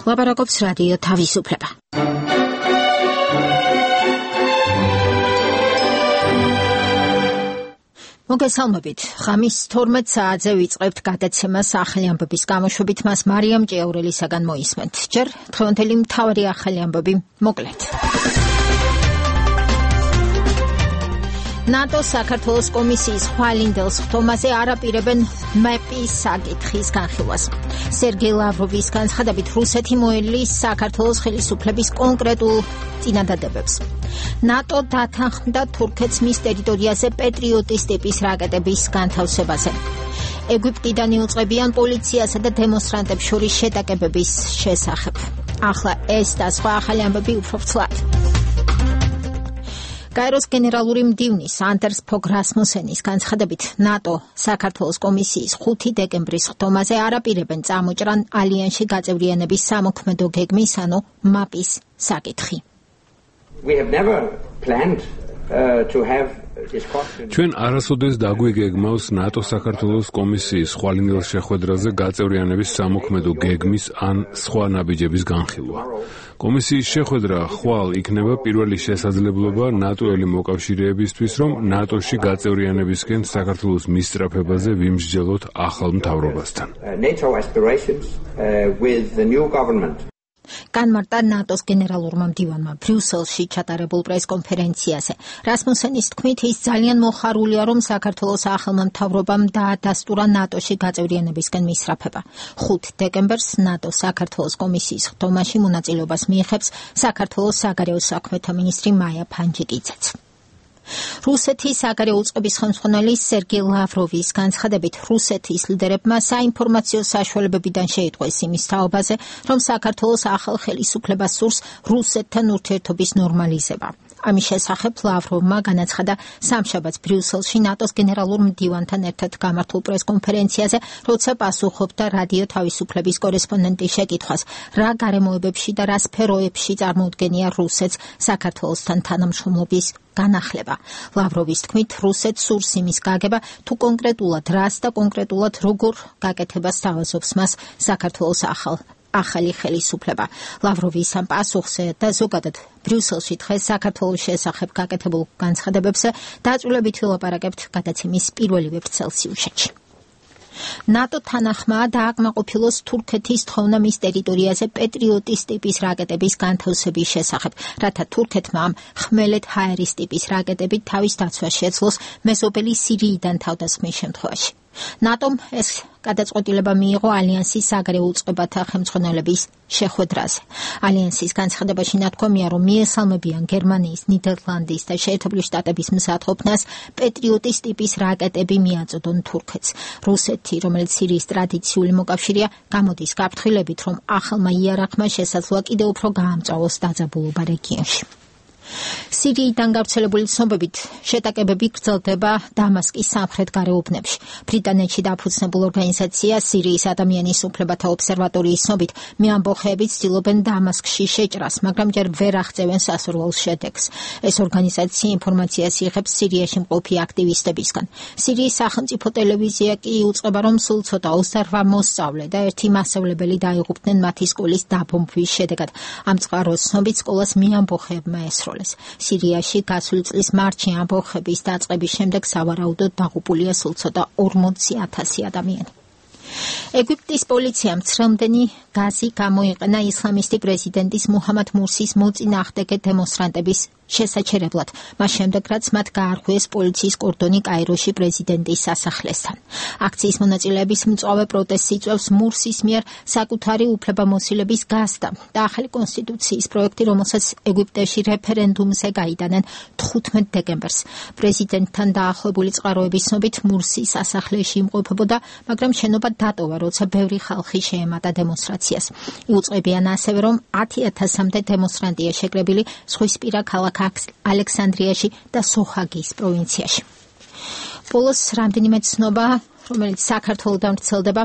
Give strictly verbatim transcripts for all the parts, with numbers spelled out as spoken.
ლაპარაკობს რადიო თავისუფლება. მოგესალმებით. ღამის თორმეტ საათზე ვიწყებთ გადაცემას ახალი ამბების გამოშვებით, მას მარიამ ჭიაურელისაგან მოისმენთ. ჯერ დღევანდელი მთავარი ახალი ამბები მოკლედ. ნატო საქართველოს კომისიის ხვალინდელს ხტომაზე არ აპირებენ მეპის საკითხის განხილვას. სერგეი ლავროვის განცხადებით, რუსეთი მოელის საქართველოს ხელისუფლების კონკრეტულ წინადადებებს. ნატო დათანხმდა თურქეთს მის ტერიტორიაზე პეტრიოტის ტიპის რაკეტების განთავსებაზე. ეგვიპტიდან იუწყებიან პოლიციასა და დემონსტრანტებს შორის შეტაკებების შესახებ. ახლა ეს და სხვა ახალი ამბები უფრო ვრცლად. გაეროს გენერალური მდივნის ანდერს ფოგ რასმუსენის განცხადებით, ნატო საქართველოს კომისიის ხუთი დეკემბრის ხტომაზე არ აპირებენ წამოჭრან ალიანსში გაწევრიანების სამოქმედო გეგმის, ანუ მაპის საკითხი. ჩვენ არასოდეს დაგვიგეგმავს ნატო საქართველოს კომისიის ხვალინდელ შეხვედრაზე გაწევრიანების სამოქმედო გეგმის ან სხვა ნაბიჯების განხილვა. კომისიის შეხვედრა ხვალ იქნება პირველი შესაძლებლობა ნატოელი მოკავშირეებისთვის, რომ ნატოში გაწევრიანებისკენ საქართველოს მისწრაფებაზე ვიმსჯელოთ ახალ მთავრობასთან. განმარტა ნატოს გენერალურმა მდივანმა ბრიუსელში ჩატარებულ პრესკონფერენციაზე. რასმუსენის თქმით, ის ძალიან მოხარულია, რომ საქართველოს ახალმა მთავრობამ დაადასტურა ნატოში გაწევრიანებისკენ მისწრაფება. ხუთი დეკემბერს ნატო საქართველოს კომისიის ხტომაში მონაწილეობას მიიღებს საქართველოს საგარეო საქმეთა მინისტრი მაია ფანჯიკიძეც. რუსეთის საგარეო უწყების ხელმძღვანელი სერგეი ლავროვის განცხადებით, რუსეთის ლიდერებმა საინფორმაციო საშუალებებიდან შეიტყვეს იმის თაობაზე, რომ საქართველოს ახალ ხელისუფლებას სურს რუსეთთან ურთიერთობის ნორმალიზება. ამის შესახებ ლავროვმა განაცხადა სამშაბათს ბრიუსელში ნატოს გენერალურ მდივანთან ერთად გამართულ პრესკონფერენციაზე, როცა პასუხობდა რადიო თავისუფლების კორესპონდენტის შეკითხვას, რა გარემოებებში და რა სფეროებში წარმოუდგენია რუსეთს საქართველოსთან თანამშრომლობის განახლება. ლავროვის თქმით, რუსეთს სურს იმის გაგება, თუ კონკრეტულად რას და კონკრეტულად როგორ გაკეთებას თავაზობს მას საქართველოს ახალ ახალი ხელისუფლება. ლავროვის ამ პასუხზე და ზოგადად ბრიუსელში დღეს საქართველოს შესახებ გაკეთებულ განცხადებებზე დაწვრილებითი ვლაპარაკებთ გადაცემის პირველივე ვრცელ სიუჟეტში. ნატო თანახმაა დააკმაყოფილოს თურქეთის თხოვნა მის ტერიტორიაზე პეტრიოტის ტიპის რაკეტების განთავსების შესახებ, რათა თურქეთმა ამ ხმელეთ ჰაერის ტიპის რაკეტებით თავის დაცვას შეძლოს მეზობელი სირიიდან თავდასხმის შემთხვევაში. ნატომ ეს გადაწყვეტილება მიიღო ალიანსის საგარეო უწყებათა ხელმძღვანელების შეხვედრაზე. ალიანსის განცხადებაში ნათქვამია, რომ მიესალმებიან გერმანიის, ნიდერლანდის და შეერთებული შტატების მზადყოფნას პეტრიოტის ტიპის რაკეტები მიაწოდონ თურქეთს. რუსეთი, რომელიც სირიის ტრადიციული მოკავშირეა, გამოდის გაფრთხილებით, რომ ახალმა იარაღმა შესაძლოა კიდევ უფრო გაამწვავოს დაძაბულობა რეგიონში. სირიიდან გავრცელებული ცნობებით შეტაკებები გრძელდება დამასკის სამხრეთ გარეუბნებში. ბრიტანეთში დაფუძნებულ ორგანიზაცია სირიის ადამიანის უფლებათა ობსერვატორიის ცნობით, მეამბოხეები ცდილობენ დამასკში შეჭრას, მაგრამ ჯერ ვერ აღწევენ სასურველ შედეგს. ეს ორგანიზაცია ინფორმაციას იღებს სირიაში მყოფი აქტივისტებისგან. სირიის სახელმწიფო ტელევიზია კი იუწყება, რომ სულ ცოტა ოცდაოთხ მოსწავლე და ერთი მასწავლებელი დაიღუპნენ მათი სკოლის დაბომბვის შედეგად. ამ წყაროს ცნობით სკოლას მეამბოხეებმა ესროლეს. სირიაში გასული წლის მარტში ამბოხების დაწყების შემდეგ სავარაუდოდ დაღუპულია სულ ცოტა ორმოცი ათასი ადამიანი. ეგვიპტის პოლიციამ ცრემლდენი გაზი გამოიყენა ისლამისტი პრეზიდენტის მუჰამად მურსის მოწინააღმდეგე დემონსტრანტების შესაჩერებლად, მას შემდეგ რაც მათ გაარღვიეს პოლიციის კორდონი კაიროში პრეზიდენტის სასახლესთან. აქციის მონაწილეების მწვავე პროტესტს იწვევს მურსის მიერ საკუთარი უფლებამოსილების გაზრდა და ახალი კონსტიტუციის პროექტი, რომელსაც ეგვიპტეში რეფერენდუმზე გაიტანენ თხუთმეტ დეკემბერს. პრეზიდენტთან დაახლოებული წყაროების ცნობით მურსი სასახლეში იმყოფებოდა, მაგრამ შენობა დატოვა, როცა ბევრი ხალხი შეემატა დემონსტრაციას. იუწყებიან ასევე, რომ ათი ათასამდე დემონსტრანტია შეკრებილი ზღვისპირა ქალაქ ალექსანდრიაში და სოჰაგის პროვინციაში. ბოლოს რამდენიმე ცნობა, რომელიც საქართველოდან ვრცელდება,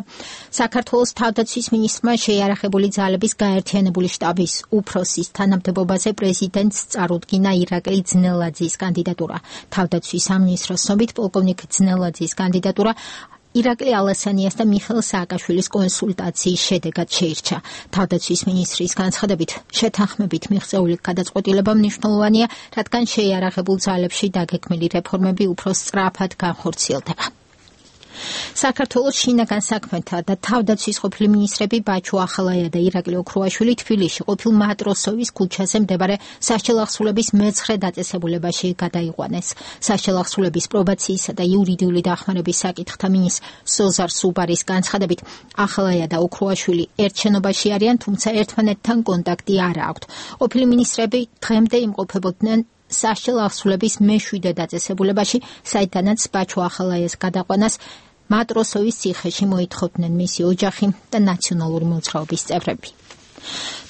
საქართველოს თავდაცვის მინისტრმა შეიარაღებული ძალების გაერთიანებული შტაბის უფროსის თანამდებობაზე პრეზიდენტს წარუდგინა ირაკლი ძნელაძის კანდიდატურა. თავდაცვის სამინისტროს ცნობით, პოლკოვნიკ ძნელაძის კანდიდატურა ირაკლი ალასანიას და მიხეილ სააკაშვილის კონსულტაციის შედეგად შეირჩა. თავდაცვის მინისტრის განცხადებით, შეთანხმებით მიღწეული გადაწყვეტილება მნიშვნელოვანია, რადგან შეიარაღებულ ძალებში დაგეგმილი რეფორმები უფრო სწრაფად განხორციელდება. საქართველოს შინაგან საქმეთა და თავდაცვის ყოფილი მინისტრები ბაჩუ ახალაია და ირაკლი ოქრუაშვილი თბილისში ყოფილ მატროსოვის ქუჩაზე მდებარე სასჯელახსრულების მეცხრე დაწესებულებაში გადაიყვანეს. სასჯელახსრულების პრობაციისა და იურიდიული დახმარების საკითხთა მინისტრ სოზარ სუბარის განცხადებით, ახალაია და ოქრუაშვილი ერთ შენობაში არიან, თუმცა ერთმანეთთან კონტაქტი არ აქვთ. ყოფილი მინისტრები დღემდე იმყოფებოდნენ სასჯელახსრულების მეშვიდე დაწესებულებაში, საიდანაც ბაჩუ ახალაიას გადაყვანას მატროსოვის ციხეში მოითხოვდნენ მისი ოჯახი და ნაციონალური მოძრაობის წევრები.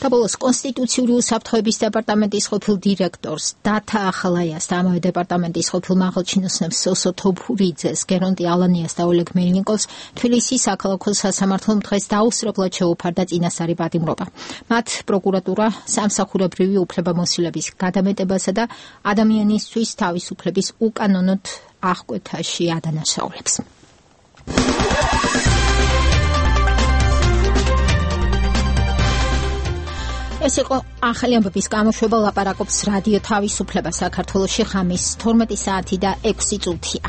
და ბოლოს კონსტიტუციური უსაფრთხოების დეპარტამენტის ყოფილ დირექტორს დათა ახალაიას და ამავე დეპარტამენტის ყოფილ მაღალჩინოსნებს სოსო თოფურიძეს, გერონტი ალანიას და ოლეგ მელნიკოვს თბილისის საქალაქო სასამართლომ დღეს დაუსრულებლად შეუფარდა წინასწარი პატიმრობა. მათ პროკურატურა სამსახურებრივი უფლებამოსილების გადამეტებასა და ადამიანისთვის თავისუფლების უკანონოდ აღკვეთაში ადანაშაულებს. ეს იყო ახალი ამბების გამოშვება, ლაპარაკობს რადიო თავისუფლება საქართველოში, ხამის თორმეტი საათი და ექვსი წუთია.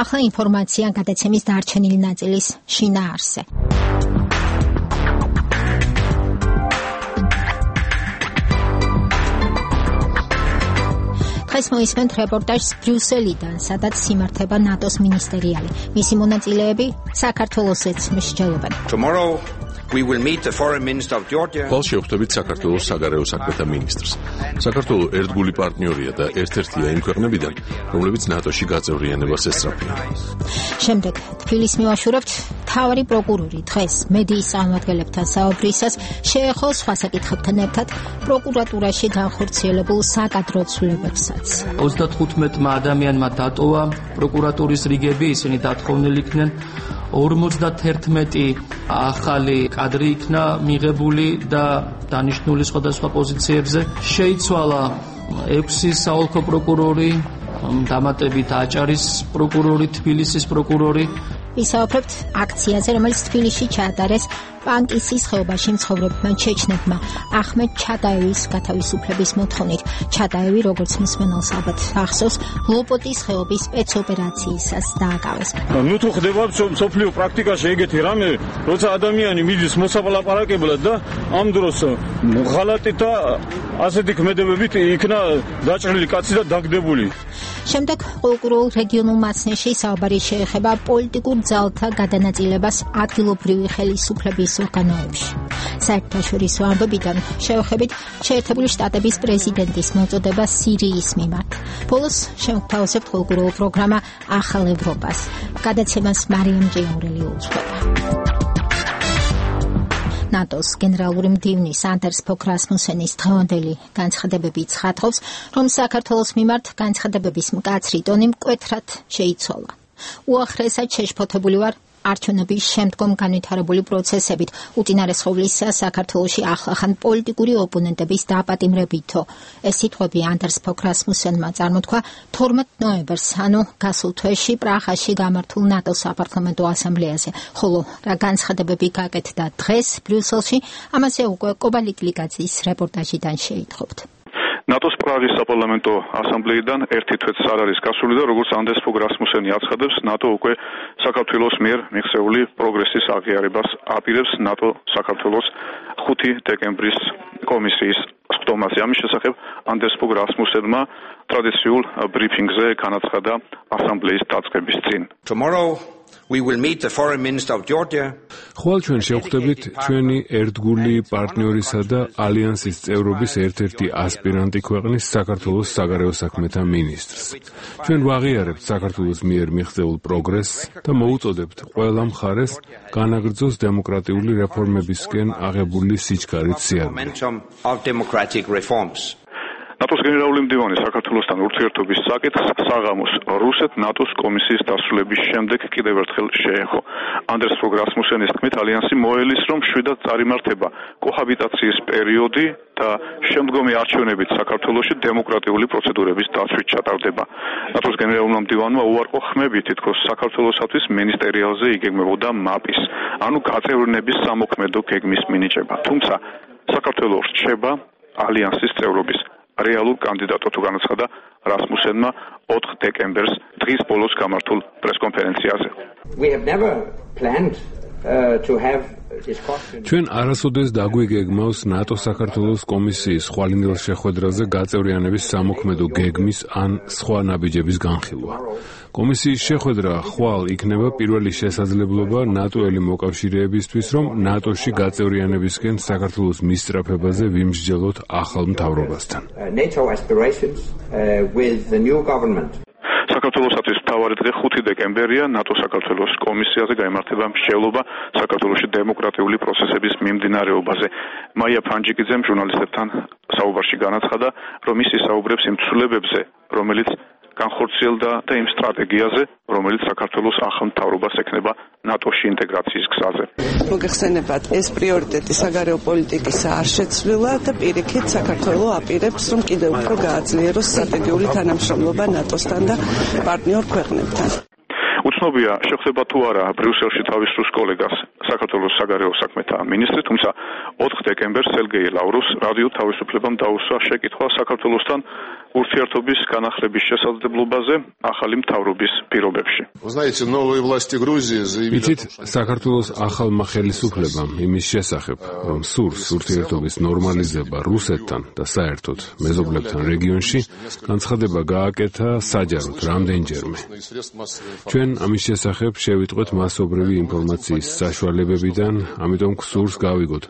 ახლა ინფორმაცია გადაცემის დარჩენილი ნაწილის შინაარსზე. დღეს მოისმენთ რეპორტაჟს ბრიუსელიდან, სადაც იმართება ნატოს მინისტერიალი. მისი მონაწილეები საქართველოსაც მსჯელობენ. ხვალ შევხვდებით საქართველოს საგარეო საქმეთა მინისტრს. საქართველო ერთგული პარტნიორია და ერთ-ერთია იმ ქვეყნებიდან, რომლებიც ნატოში გაწევრიანებას ესწრაფიან. შემდეგ თბილისს მივაშურებთ. მთავარი პროკურორი დღეს მედიის წარმომადგენლებთან საუბრისას შეეხო სხვა საკითხებთან ერთად პროკურატურაში განხორციელებულ საკადრო ცვლილებებსაც. ოცდათხუთმეტმა ადამიანმა დატოვა პროკურატურის რიგები, ისინი დათხოვნილ იქნენ. ორმოცდაერთმეტი ახალი კადრი იქნა მიღებული და დანიშნული სხვადასხვა პოზიციებზე. შეიცვალა ექვსი საოლქო პროკურორი, დამატებით აჭარის პროკურორი, თბილისის პროკურორი. ვისაუბრებთ აქციაზე, რომელიც თბილისში ჩაატარეს პანკისის ხეობაში მცხოვრებმა ჩეჩნებმა ახმედ ჩატაევის გათავისუფლების მოთხოვნით. ჩატაევი, როგორც მსმენელს ალბათ ახსოვს, ლოპოტის ხეობის სპეცოპერაციისას დააკავეს. ნუ თუ ხდება სოფლიო პრაქტიკაში ეგეთი რამე, როცა ადამიანი მიდის მოსაპალაპარაკებლად და ამ დროს ღალატით და ასეთი ქმედებებით იქნა დაჭრილი კაცი და დაგდებული. შემდეგ კულტურულ რეგიონულ მასნეში საუბარი შეეხება პოლიტიკურ ძალთა გადანაწილებას ადგილობრივი ხელისუფლების ორგანოებში. საერთაშორისო ამბებიდან შევხედებით შეერთებული შტატების პრეზიდენტის მოწოდება სირიის მიმართ. ბოლოს შევთავაზებთ კულტურულ პროგრამა ახალ ევროპას. გადაცემას მარიამ ჭიაურელი უძღვება. ნატოს გენერალური მდივნის ანდერს ფოკ რასმუსენის დღევანდელი განცხადებები ცხადყოფს, რომ საქართველოს მიმართ განცხადებების მკაცრი ტონი მკვეთრად შეიცვალა. უახლესად შეშფოთებული ვარ არჩევნების შემდგომ განვითარებული პროცესებით, უწინარესხოვლისა საქართველოში ახლახან პოლიტიკური ოპონენტების დაპატიმრებითო. ეს სიტყვები ანდერს ფოკ რასმუსენმა წარმოთქვა თორმეტ ნოემბერს, ანუ გასულ თვეში პრაღაში გამართულ ნატოს საპარლამენტო ასამბლეაზე, ხოლო რა განცხადებები გაკეთდა დღეს ბრიუსელში, ამაზე უკვე კობალიკლიკაცის რეპორტაჟიდან შეითხოვთ. ნატოს პრაღის საპარლამენტო ასამბლეიდან ერთი თვეც არ არის გასული და როგორც ანდერს ფოკ რასმუსენი აცხადებს, ნატო უკვე საქართველოს მიერ მიღწეული პროგრესის აღიარებას აპირებს ნატო საქართველოს ხუთი დეკემბრის კომისიის სხდომაზე. ამის შესახებ ანდერს ფოკ რასმუსენმა ტრადიციულ ბრიფინგზე განაცხადა ასამბლეის დაწყების წინ. We will meet the foreign minister of Georgia. ხვალ ჩვენ შევხვდებით ჩვენი ერთგული პარტნიორისა და ალიანსის წევრობის ერთ-ერთი ასპირანტი ქვეყნის საქართველოს საგარეო საქმეთა მინისტრს. ჩვენ ვაღიარებთ საქართველოს მიერ მიღწეულ პროგრესს და მოუწოდებთ ყველა მხარეს განაგრძოს დემოკრატიული რეფორმებისკენ აღებული სიჩქარით სიარული. ნატოს გენერალური მდივანი საქართველოსთან ურთიერთობის საკითხს საღამოს რუსეთ-ნატოს კომისიის დასრულების შემდეგ კიდევ ერთხელ შეეხო. ანდერს ფოგ რასმუსენის თქმით, ალიანსი მოელის, რომ შვიდად წარიმართება კოჰაბიტაციის პერიოდი და შემდგომი არჩევნებით საქართველოში დემოკრატიული პროცედურების დაცვით ჩატარდება. ნატოს გენერალურმა მდივანმა უარყო ხმები, თითქოს საქართველოსთვის მინისტერიალზე იგეგმებოდა მაპის, ანუ გაწევრიანების სამოქმედო გეგმის მინიჭება. თუმცა საქართველოს რჩება ალიანსის წევრობის რეალურ კანდიდატად თუ განაცხადა რასმუსენმა ოთხ დეკემბერს დღის ბოლოს გამართულ პრესკონფერენციაზე. We have never planned uh, to have ჩვენ არასოდეს დაგვიგეგმავს ნატო-საქართველოს კომისიის ხვალინდელ შეხვედრაზე გაწევრიანების სამოქმედო გეგმის ან სხვა ნაბიჯების განხილვა. კომისიის შეხვედრა ხვალ იქნება პირველი შესაძლებლობა ნატოელი მოკავშირეებისთვის, რომ ნატოში გაწევრიანებისკენ საქართველოს მისწრაფებაზე ვიმსჯელოთ ახალ მთავრობასთან. NATO aspirations uh, with the new government. საქართველოსთვის მთავარი დღე ხუთი დეკემბერია. ნატო-საქართველოს კომისიაზე გაიმართება მსჯელობა საქართველოში დემოკრატიული პროცესების მიმდინარეობაზე. მაია ფანჯიკიძემ ჟურნალისტებთან საუბარში განაცხადა, რომ ის ისაუბრებს იმ ცვლილებებზე, რომელიც განხორციელდა და იმ სტრატეგიაზე, რომელიც საქართველოს ახალ მთავრობას ექნება ნატოში ინტეგრაციის გზაზე. მოგეხსენებათ, ეს პრიორიტეტი საგარეო პოლიტიკისა არ შეცვლილა და პირიქით საქართველო აპირებს, რომ კიდევ უფრო გააძლიეროს სტრატეგიული თანამშრომლობა ნატოსთან და პარტნიორ ქვეყნებთან. უცნობია, შეხვდება თუ არა ბრიუსელში თავის რუს კოლეგას საქართველოს საგარეო საქმეთა მინისტრი, თუმცა ოთხ დეკემბერს სერგეი ლავროვს რადიო თავისუფლებამ დაუსვა შეკითხვა საქართველოსთან ურთიერთობის განახლების შესაძლებლობაზე ახალი მთავრობის პირობებში. იცით, საქართველოს ახალმა ხელისუფლებამ იმის შესახებ, რომ სურს ურთიერთობის ნორმალიზება რუსეთთან და საერთოდ მეზობლებთან რეგიონში, განცხადება გააკეთა საჯაროდ რამდენჯერმე. ჩვენ ამის შესახებ შევიტყვეთ მასობრივი ინფორმაციის საშუალებებიდან, ამიტომ გსურს გავიგოთ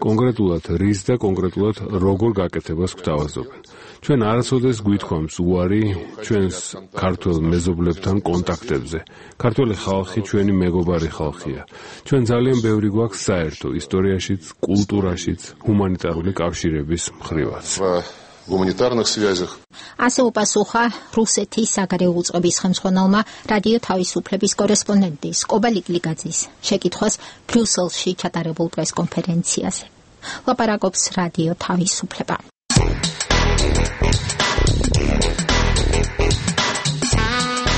კონკრეტულად რის და კონკრეტულად როგორ გაკეთებას გვთავაზობენ. ჩვენ არასოდეს გვითხოვს უარი ჩვენს ქართველ მეზობლებთან კონტაქტებზე. ქართველი ხალხი ჩვენი მეგობარი ხალხია. ჩვენ ძალიან ბევრი გვაქვს საერთო ისტორიაშიც, კულტურაშიც, ჰუმანიტარული კავშირების მხრივაც. гуманитарных связях. ასე უპასუხა რუსეთის საგარეო უწყების ხელმძღვანელმა რადიო თავისუფლების კორესპონდენტის კობალ იგლიგაძის შეკითხვას ბრიუსელში ჩატარებულ პრესკონფერენციაზე. ლაპარაკობს რადიო თავისუფლება.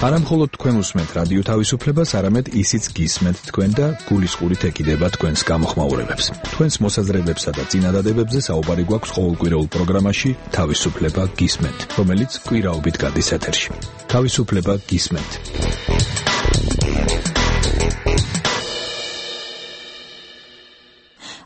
არა მხოლოდ თქვენ უსმენთ რადიო თავისუფლებას, არამედ ისიც გისმენთ თქვენ და გულისყურით ეკიდება თქვენს გამოხმაურებებს. თქვენს მოსაზრებებსა და წინადადებებზე საუბარი გვაქვს ყოველკვირეულ პროგრამაში თავისუფლება გისმენთ, რომელიც კვირაობით გადის ეთერში. თავისუფლება გისმენთ.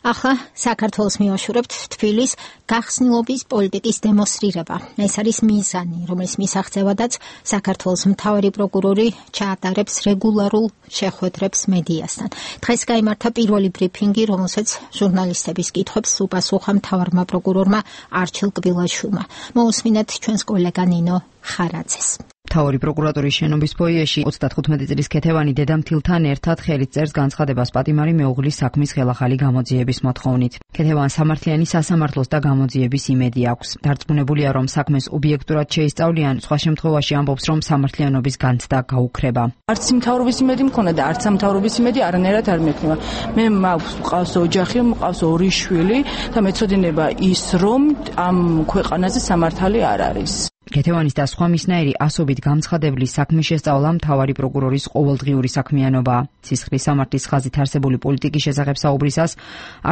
ახლა საქართველოს მივაშურებთ თბილის გახსნილობის პოლიტიკის დემონსტრირება. ეს არის მიზანი, რომლის მისაღწევადაც საქართველოს მთავარი პროკურორი ჩაატარებს რეგულარულ შეხვედრებს მედიასთან. დღეს გაიმართა პირველი ბრიფინგი, რომელსაც ჟურნალისტების კითხვებს უპასუხა მთავარმა პროკურორმა არჩილ კბილაშვილმა. მოусმინეთ ჩვენს კოლეგა ნინო ხარაძეს. მთავარი პროკურატურის შენობის ფოიეში ოცდათხუთმეტი წლის ქეთევანი დედამთილთან ერთად ხელით წერს განცხადებას პატიმარი მეუღლის საქმის ხელახალი გამოძიების მოთხოვნით. ქეთევანს სამართლიანი სასამართლოს და გამოძიების იმედი აქვს. დარწმუნებულია, რომ საქმეს ობიექტურად შეისწავლიან, სხვა შემთხვევაში ამბობს, რომ სამართლიანობის განცდა გაუქრება. არც მთავრობის იმედი მქონდა და არც სამთავრობის იმედი არანაირად არ მექნება. მე მყავს ოჯახი, მყავს ორი შვილი და მეცოდინება ის, რომ ამ ქვეყანაზე სამართალი არ არის. ქეთევანის და სხვა მისნაირი ასობით გამცხადებლის საქმის შესწავლა მთავარი პროკურორის ყოველდღიური საქმიანობაა. სისხლის სამართლის ხაზით არსებული პოლიტიკის შესახებ საუბრისას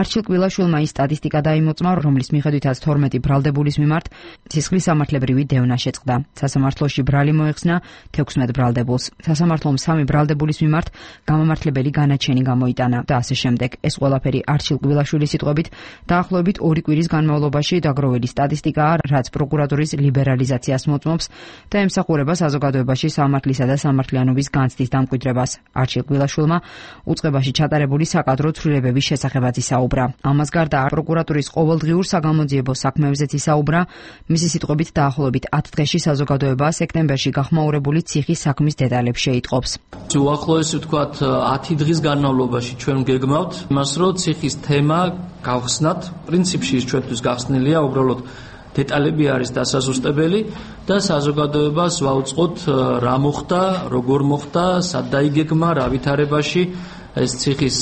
არჩილ კბილაშვილმა ის სტატისტიკა დაიმოწმა, რომლის მიხედვითაც თორმეტი ბრალდებულის მიმართ სისხლის სამართლებრივი დევნა შეწყდა. სასამართლოში ბრალი მოეხსნა თექვსმეტ ბრალდებულს. სასამართლომ სამი ბრალდებულის მიმართ გამამართლებელი განაჩენი გამოიტანა და ასე შემდეგ. ეს ყველაფერი არჩილ კბილაშვილის სიტყვებით დაახლოებით ორი კვირის განმავლობაში დაგროვილი სტატისტიკაა, რაც პროკურატურის ლიბერალიზაციას მოწმობს და ემსახურება საზოგადოებაში სამართლისა და სამართლიანობის განცდის დამკვიდრებას. არჩილ კბილაშვილმა უწყებაში ჩატარებული საკადრო ცვლილებების შესახებაც ისაუბრა. ამას გარდა პროკურატურის ყოველდღიურ საგამოძიებო საქმეებზეც ისაუბრა. მისი სიტყვებით დაახლოებით ათ დღეში საზოგადოება სექტემბერში გახმაურებული ციხის საქმის დეტალებს შეიტყობს. უახლოესი ვთქვათ ათი დღის განმავლობაში ჩვენ გეგმავთ იმას, რომ ციხის თემა გავხსნათ. პრინციპში ის ჩვენთვის გახსნილია, უბრალოდ დეტალები არის დასაზუსტებელი და საზოგადოებას ვაუწყოთ რა მოხდა, როგორ მოხდა, სად დაიგეგმა, რა ვითარებაში ეს ციხის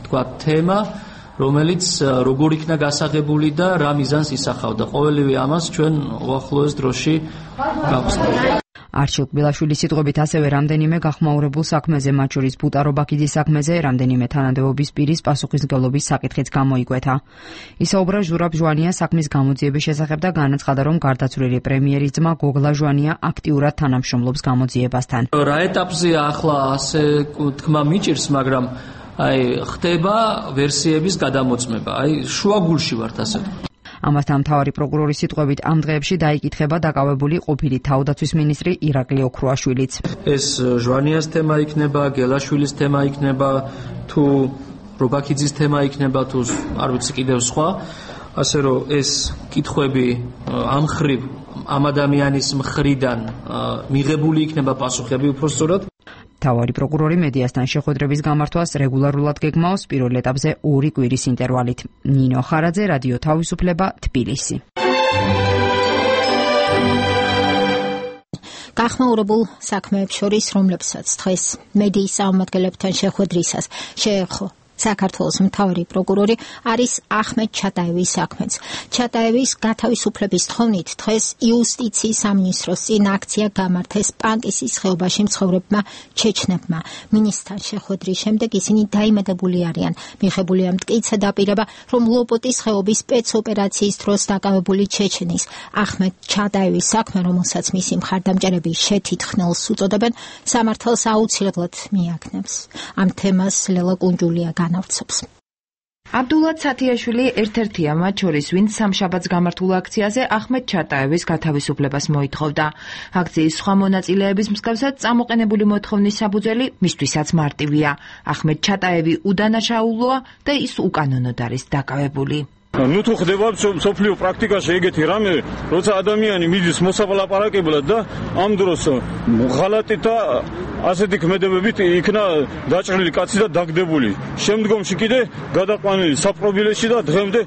თქვა თემა, რომელიც როგორ იქნა გასაღებული და რა მიზანს ისახავდა. ყოველივე ამას ჩვენ უახლოეს დროში გავხსნით. არჩილ კბილაშვილის სიტყვებით ასევე რამდენიმე გახმაურებულ საქმეზე, მათ შორის ბუტარო-ბაქიძის საქმეზე, რამდენიმე თანამდებობის პირის პასუხისმგებლობის საკითხიც გამოიკვეთა. ისაუბრა ჟურაბ ჟვანიას საქმის გამოძიების შესახებ და განაცხადა, რომ გარდაცვლილი პრემიერის ძმა გოგლა ჟვანია აქტიურად თანამშრომლობს გამოძიებასთან. რა ეტაპზეა ახლა ასე თქმა მიჭირს, მაგრამ აი ხდება ვერსიების გადამოწმება. აი შუაგულში ვართ ასე. ამასთან მთავარი პროკურორის სიტყვებით ამ დღეებში დაიკითხება დაკავებული ყოფილი თავდაცვის მინისტრი ირაკლი ოქრუაშვილიც. ეს ჟვანიას თემა იქნება, გელაშვილის თემა იქნება, თუ რობაქიძის თემა იქნება, თუ არ ვიცი კიდევ სხვა. ასე რომ ეს კითხვები ამ ხრივ ამ ადამიანის მხრიდან მიღებული იქნება პასუხები უпростоრად. მთავარი პროკურორი მედიასთან შეხვედრების გამართვას რეგულარულად გეგმავს პირველ ეტაპზე ორი კვირის ინტერვალით. ნინო ხარაძე, რადიო თავისუფლება, თბილისი. გახმაურებულ საქმეებს შორის, რომლებსაც დღეს მედიის წარმომადგენლებთან შეხვედრისას შეერხო საქართველოს მთავარი პროკურორი არის ახმედ ჩატაევის საქმეც. ჩატაევის გათავისუფლების თხოვნით დღეს იუსტიციის სამინისტროს წინ აქცია გამართეს პანკისის ხეობაში მცხოვრებმა ჩეჩნებმა. მინისტრთან შეხვედრის შემდეგ ისინი დაიმედებული არიან. მიღებულია მტკიცე დაპირება, რომ ლოპოტის ხეობის სპეცოპერაციის დროს დაკავებული ჩეჩნის ახმედ ჩატაევის საქმე, რომელსაც მისი მხარდამჭერები შეთითხნელს უწოდებენ, სამართალს აუცილებლად მიაგნებს. ამ თემას ლელა კუნჯულია განავრცობს. აბდულად სათიაშვილი ერთ-ერთია მათ შორის, ვინც სამშაბათს გამართულ აქციაზე ახმედ ჩატაევის გათავისუფლებას მოითხოვდა. აქციის სხვა მონაწილეების მსგავსად წამოყენებული მოთხოვნის საფუძველი მისთვისაც მარტივია. ახმედ ჩატაევი უდანაშაულოა და ის უკანონოდ არის დაკავებული. ნუ თუ ხდება სოფლიო პრაქტიკაში ეგეთი რამე, როცა ადამიანი მიდის მოსაპალაპარაკებლად და ამ დროს ღალატი და ასეთი ქმედებებით იქნა დაჭრილი კაცი და დაგდებული. შემდგომში კიდე გადაყვანილი საპრობილეში და დღემდე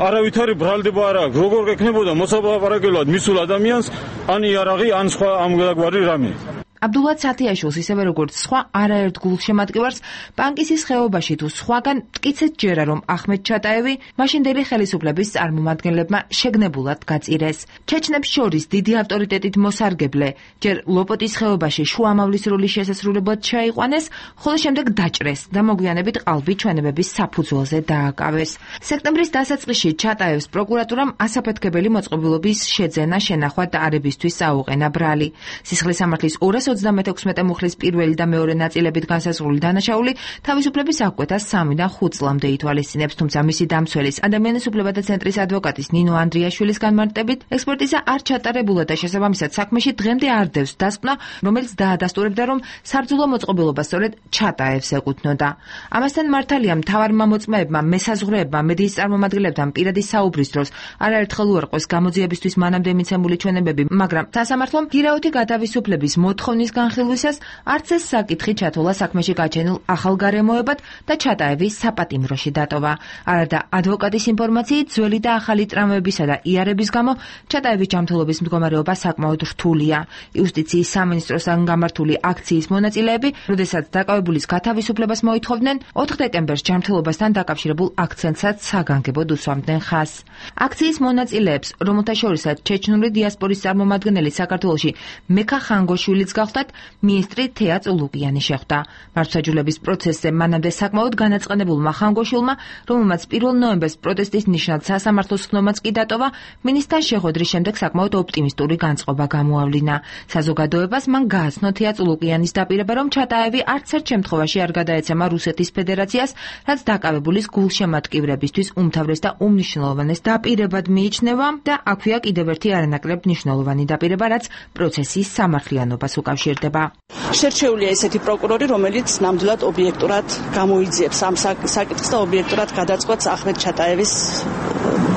არავითარი ბრალდება არ აქვს. როგორ გექნებოდა მოსაპალაპარაკებლად მისულ ადამიანს ან იარაღი, ან სხვა ამგვარი რამე. აბდულად სათიაშვილს ისევე როგორც სხვა არაერთ გულშემატკივარს პანკისის ხეობაში თუ სხვაგან მტკიცედ ჯერა, რომ ახმედ ჩატაევი მაშინდელი ხელისუფლების წარმომადგენლებმა შეგნებულად გაწირეს. ჩეჩნებს შორის დიდი ავტორიტეტით მოსარგებლე ჯერ ლოპოტის ხეობაში შუამავლის როლის შესასრულებლად შეაიყვანეს, ხოლო შემდეგ დაჭრეს და მოგვიანებით ყალბი ჩვენებების საფუძველზე დააკავეს. სექტემბრის დასაწყისში ჩატაევს პროკურატურამ ასაფეთქებელი მოწყობილობის შეძენა, შენახვა და არებისთვის აუყენა ბრალი. სისხლის სამართლის ორას ოცდამეექვსმეტე მუხლის პირველი და მეორე ნაწილებით განსაზღვრული დანაშაული თავისუფლების აღკვეთას სამიდან ხუთ წლამდე ითვალისწინებს, თუმცა მისი დამცველის ადამიანის უფლებათა ცენტრის ადვოკატის ნინო ანდრიაშვილის განმარტებით ექსპერტიზა არ ჩატარებულა და შესაბამისად საქმეში დღემდე არ დევს დასკვნა, რომელიც დაადასტურებდა, რომ საბრძოლო მოწყობილობა სწორედ ჩატაევს ეკუთვნოდა. ამასთან მართალია მთავარმა მოწმეებმა, მესაზღვრეებმა, მედიის წარმომადგენლებთან პირადი საუბრის დროს არაერთხელ უარყვეს გამოძიებისთვის მანამდე მიცემული ჩვენებები, მაგრამ სასამართლომ გირაოთი გათავისუფლების მოთხოვნის განხილვისას არც ეს საკითხი ჩათვალა საქმეში გაჩენილ ახალ გარემოებად და ჩატაევი საპატიმროში დატოვა. არადა ადვოკატის ინფორმაციით, ძველი და ახალი ტრამვებისა და იარების გამო ჩატაევის ჯანმრთელობის მდგომარეობა საკმაოდ რთულია. იუსტიციის სამინისტროსთან გამართული აქციის მონაწილეები, როდესაც დაკავებულის გათავისუფლებას მოითხოვდნენ, ოთხ დეკემბერს ჯანმრთელობასთან დაკავშირებულ აქცენტსაც საგანგებოდ უსვამდნენ ხაზს. აქციის მონაწილეებს, რომელთა შორისაც ჩეჩნური დიასპორის წარმომადგენელი საქართველოში მექა ხანგოშვილიც გახლდათ, მინისტრი თეა წულუკიანი შეხვდა. მართლმსაჯულების პროცესზე მანამდე საკმაოდ განაწყენებულმა ხანგოშვილმა, რომელმაც პირველ ნოემბერს პროტესტის ნიშნად სასამართლოს ხდომაც კი დატოვა, მინისტრთან შეხვედრის შემდეგ საკმაოდ ოპტიმისტური განწყობა გამოავლინა. საზოგადოებას მან გააცნო თეა წულუკიანის დაპირება, რომ ჩატაევი არც ერთ შემთხვევაში არ გადაეცემა რუსეთის ფედერაციას, რაც დაკავებულის გულშემატკივრებისთვის უმთავრეს და უმნიშვნელოვანეს დაპირებად მიიჩნევა და აქვეა კიდევ ერთი არანაკლებ მნიშვნელოვანი დაპირება, რაც პროცესის სამართლიანობას უკავშირდება. შერჩეულია ესეთი პროკურორი, რომელიც ნამდვილად ობიექტურად გამოიძიებს ამ საკითხს და ობიექტურად გადაწყვეტს ახმედ ჩატაევის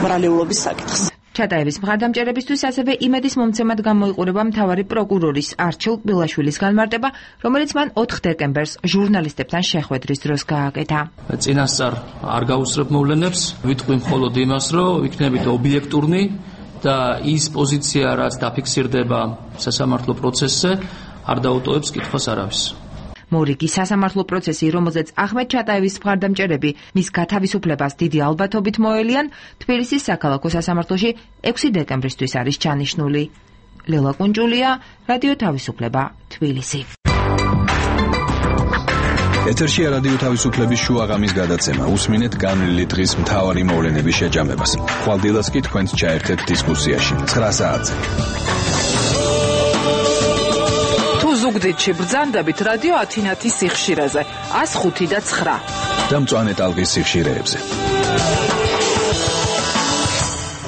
ბრალეულობის საკითხს. ჩატაევის მხარდამჭერებისთვის ასევე იმედის მომცემად გამოიყურება მთავარი პროკურორის არჩილ კბილაშვილის განმარტება, რომელიც მან ოთხ დეკემბერს ჟურნალისტებთან შეხვედრის დროს გააკეთა. წინასწარ არ გაუსწრებ მოვლენებს, ვიტყვი მხოლოდ იმას, რომ ვიქნებით ობიექტურნი, და ის პოზიცია, რაც დაფიქსირდება სასამართლო პროცესზე, არ დაუტოვებს კითხვას არავის. მორიგი სასამართლო პროცესი, რომელზეც ახმედ ჩატაევის მხარდამჭერები მის გათავისუფლებას დიდი ალბათობით მოელიან, თბილისის საქალაქო სასამართლოში ექვსი დეკემბრისთვის არის ჩანიშნული. ლელა კუნჯულია, რადიო თავისუფლება, თბილისი. ეთერშია რადიო თავისუფლების შუაღამის გადაცემა. უსმინეთ განვლილი დღის მთავარი მოვლენების შეჯამებას. ხვალდილას კი თქვენს ჩაერთეთ დისკუსიაში. ცხრა საათზე. თუ ზუგდიდში ბრძანდებით რადიო ათინათის სიხშირეზე ათს ხუთი და ცხრა. და მწვანე ტალღის სიხშირეებზე.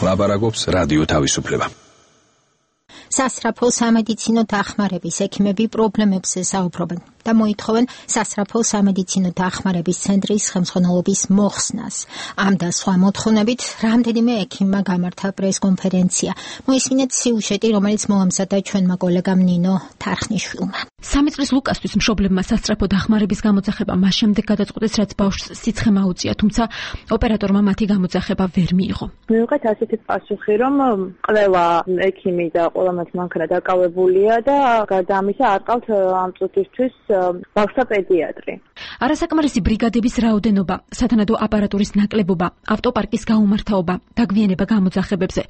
ლაბარაკობს რადიო თავისუფლება. სასწრაფო სამედიცინო დახმარების ექიმები პრობლემებზე საუბრობენ და მოითხოვენ სასწრაფო სამედიცინო დახმარების ცენტრის ხელმძღვანელობის მოხსნას. ამ და სხვა მოთხოვნებით რამდენიმე ექიმმა გამართა პრესკონფერენცია. მოისმინეთ სიუჟეტი, რომელიც მოამზადა ჩვენმა კოლეგამ ნინო თარხნიშვილმა. სამი წლის ლუკასთვის მშობლებმა სასწრაფო დახმარების გამოძახება მას შემდეგ გადაწყვეტეს, რაც ბავშვს სიცხე მაუწია, თუმცა ოპერატორმა მათი გამოძახება ვერ მიიღო. მივიღეთ ასეთი პასუხი, რომ ყველა ექიმი და ყველა მანქანა დაკავებულია და გარდა ამისა არ ყავთ ამ წუთისთვის ბავშვთა პედიატრი. არასაკმარისი ბრიგადების რაოდენობა, სათანადო აპარატურის ნაკლებობა, ავტოპარკის გაუმართავობა, დაგვიანება გამოძახებებზე.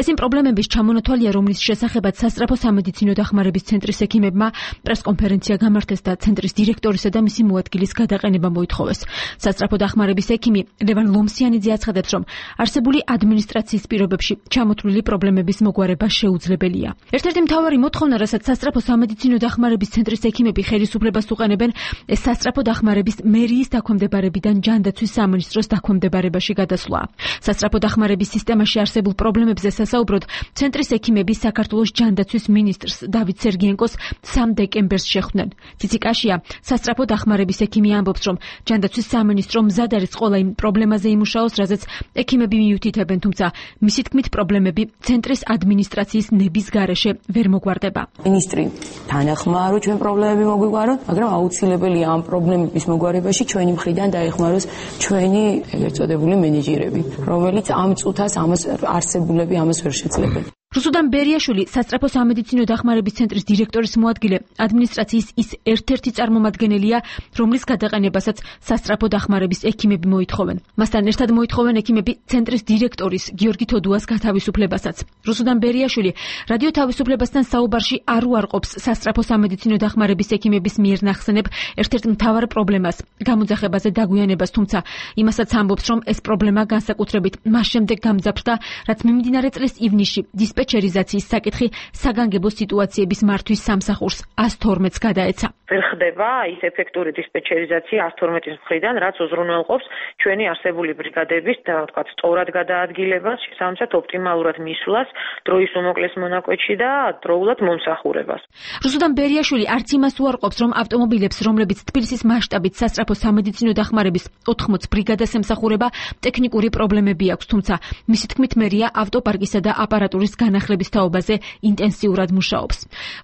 ეს იმ პრობლემების ჩამონათვალია, რომლის შესახებაც სასწრაფო სამედიცინო დახმარების ცენტრის ექიმებმა პრესკონფერენცია გამართეს და ცენტრის დირექტორისა და მისი მოადგილის გადაყენება მოითხოვეს. სასწრაფო დახმარების ექიმი ლევან ლომსიანიძე აცხადებს, რომ არსებული ადმინისტრაციის პირობებში ჩამოთვლილი პრობლემების მოგვარება შეუძლებელია. ერთ-ერთი მთავარი მოთხოვნა, რასაც სასწრაფო სამედიცინო დახმარების ცენტრის ექიმები ხელისუფლებას უყენებენ, ეს სასწრაფო დახმარების მერიის დაქვემდებარებიდან ჯანდაცვის სამინისტროს დაქვემდებარებაში გადასვლა. სასწრაფო დახმარების სისტემაში არსებულ პრობლემებზე სასაუბროდ, ცენტრის ექიმები საქართველოს ჯანდაცვის მინისტრს დავით სერგიენკოს სამ დეკემბერს შეხვდნენ. ციციკაშია, სასწრაფო დახმარების ექიმი ამბობს, რომ ჯანდაცვის სამინისტრო მზად არის ყველა იმ პრობლემაზე იმუშაოს, რაზეც ექიმები მიუთითებენ, თუმცა მისი თქმით პრობლემები ცენტრის ადმინისტრაციის ნების გარეშე ვერ მოგვარდება. მინისტრი თანახმაა, რომ ჩვენ პრობლემები მოგვიგვაროთ, მაგრამ აუცილებელია ამ პრობლემების მოგვარებაში ჩვენი მხრიდან დაეხმაროს ჩვენი ეგრეთ წოდებული მენეჯერები, რომელიც ამ წუთას ამას არსებულები ამას ვერ შეძლებენ. რუსუდან ბერიაშვილი, სასწრაფო სამედიცინო დახმარების ცენტრის დირექტორის მოადგილე, ადმინისტრაციის ის ერთ-ერთი წარმომადგენელია, რომლის გადაყენებასაც სასწრაფო დახმარების ექიმები მოითხოვენ. მასთან ერთად მოითხოვენ ექიმები ცენტრის დირექტორის გიორგი თოდუას გათავისუფლებასაც. რუსუდან ბერიაშვილი რადიო თავისუფლებასთან საუბარში არ უარყოფს სასწრაფო სამედიცინო დახმარების ექიმების მიერ ნახსენებ ერთ-ერთ მთავარ პრობლემას, გამოძახებაზე დაგვიანებას, თუმცა იმასაც ამბობს, რომ ეს პრობლემა განსაკუთრებით მას შემდეგ გამძაფრდა, რაც მიმდინარე წლის ივნისში დისპეჩერიზაციის საკითხი საგანგებო სიტუაციების მართვის სამსახურს ათს თორმეტს გადაეცა. ვერ ხდება ის ეფექტური დისპეჩერიზაცია ათს თორმეტის მხრიდან, რაც უზრუნველყოფს ჩვენი არსებული ბრიგადების და ვთქვათ, სწორად გადაადგილებას, შესაბამისად ოპტიმალურად მისვლას, დროის უმოკლეს მონაკვეთში და დროულად მომსახურებას. რუსუდან ბერიაშვილი არც იმას უარყოფს, რომ ავტომობილებს, რომლებიც თბილისის მასშტაბით სასწრაფო სამედიცინო დახმარების ოთხმოც ბრიგადას ემსახურება, ტექნიკური პრობლემები აქვს, თუმცა მისი თქმით მერია ავტოპარკისა და აპარატურის განახლების თაობაზე ინტენსიურად მუშაობს.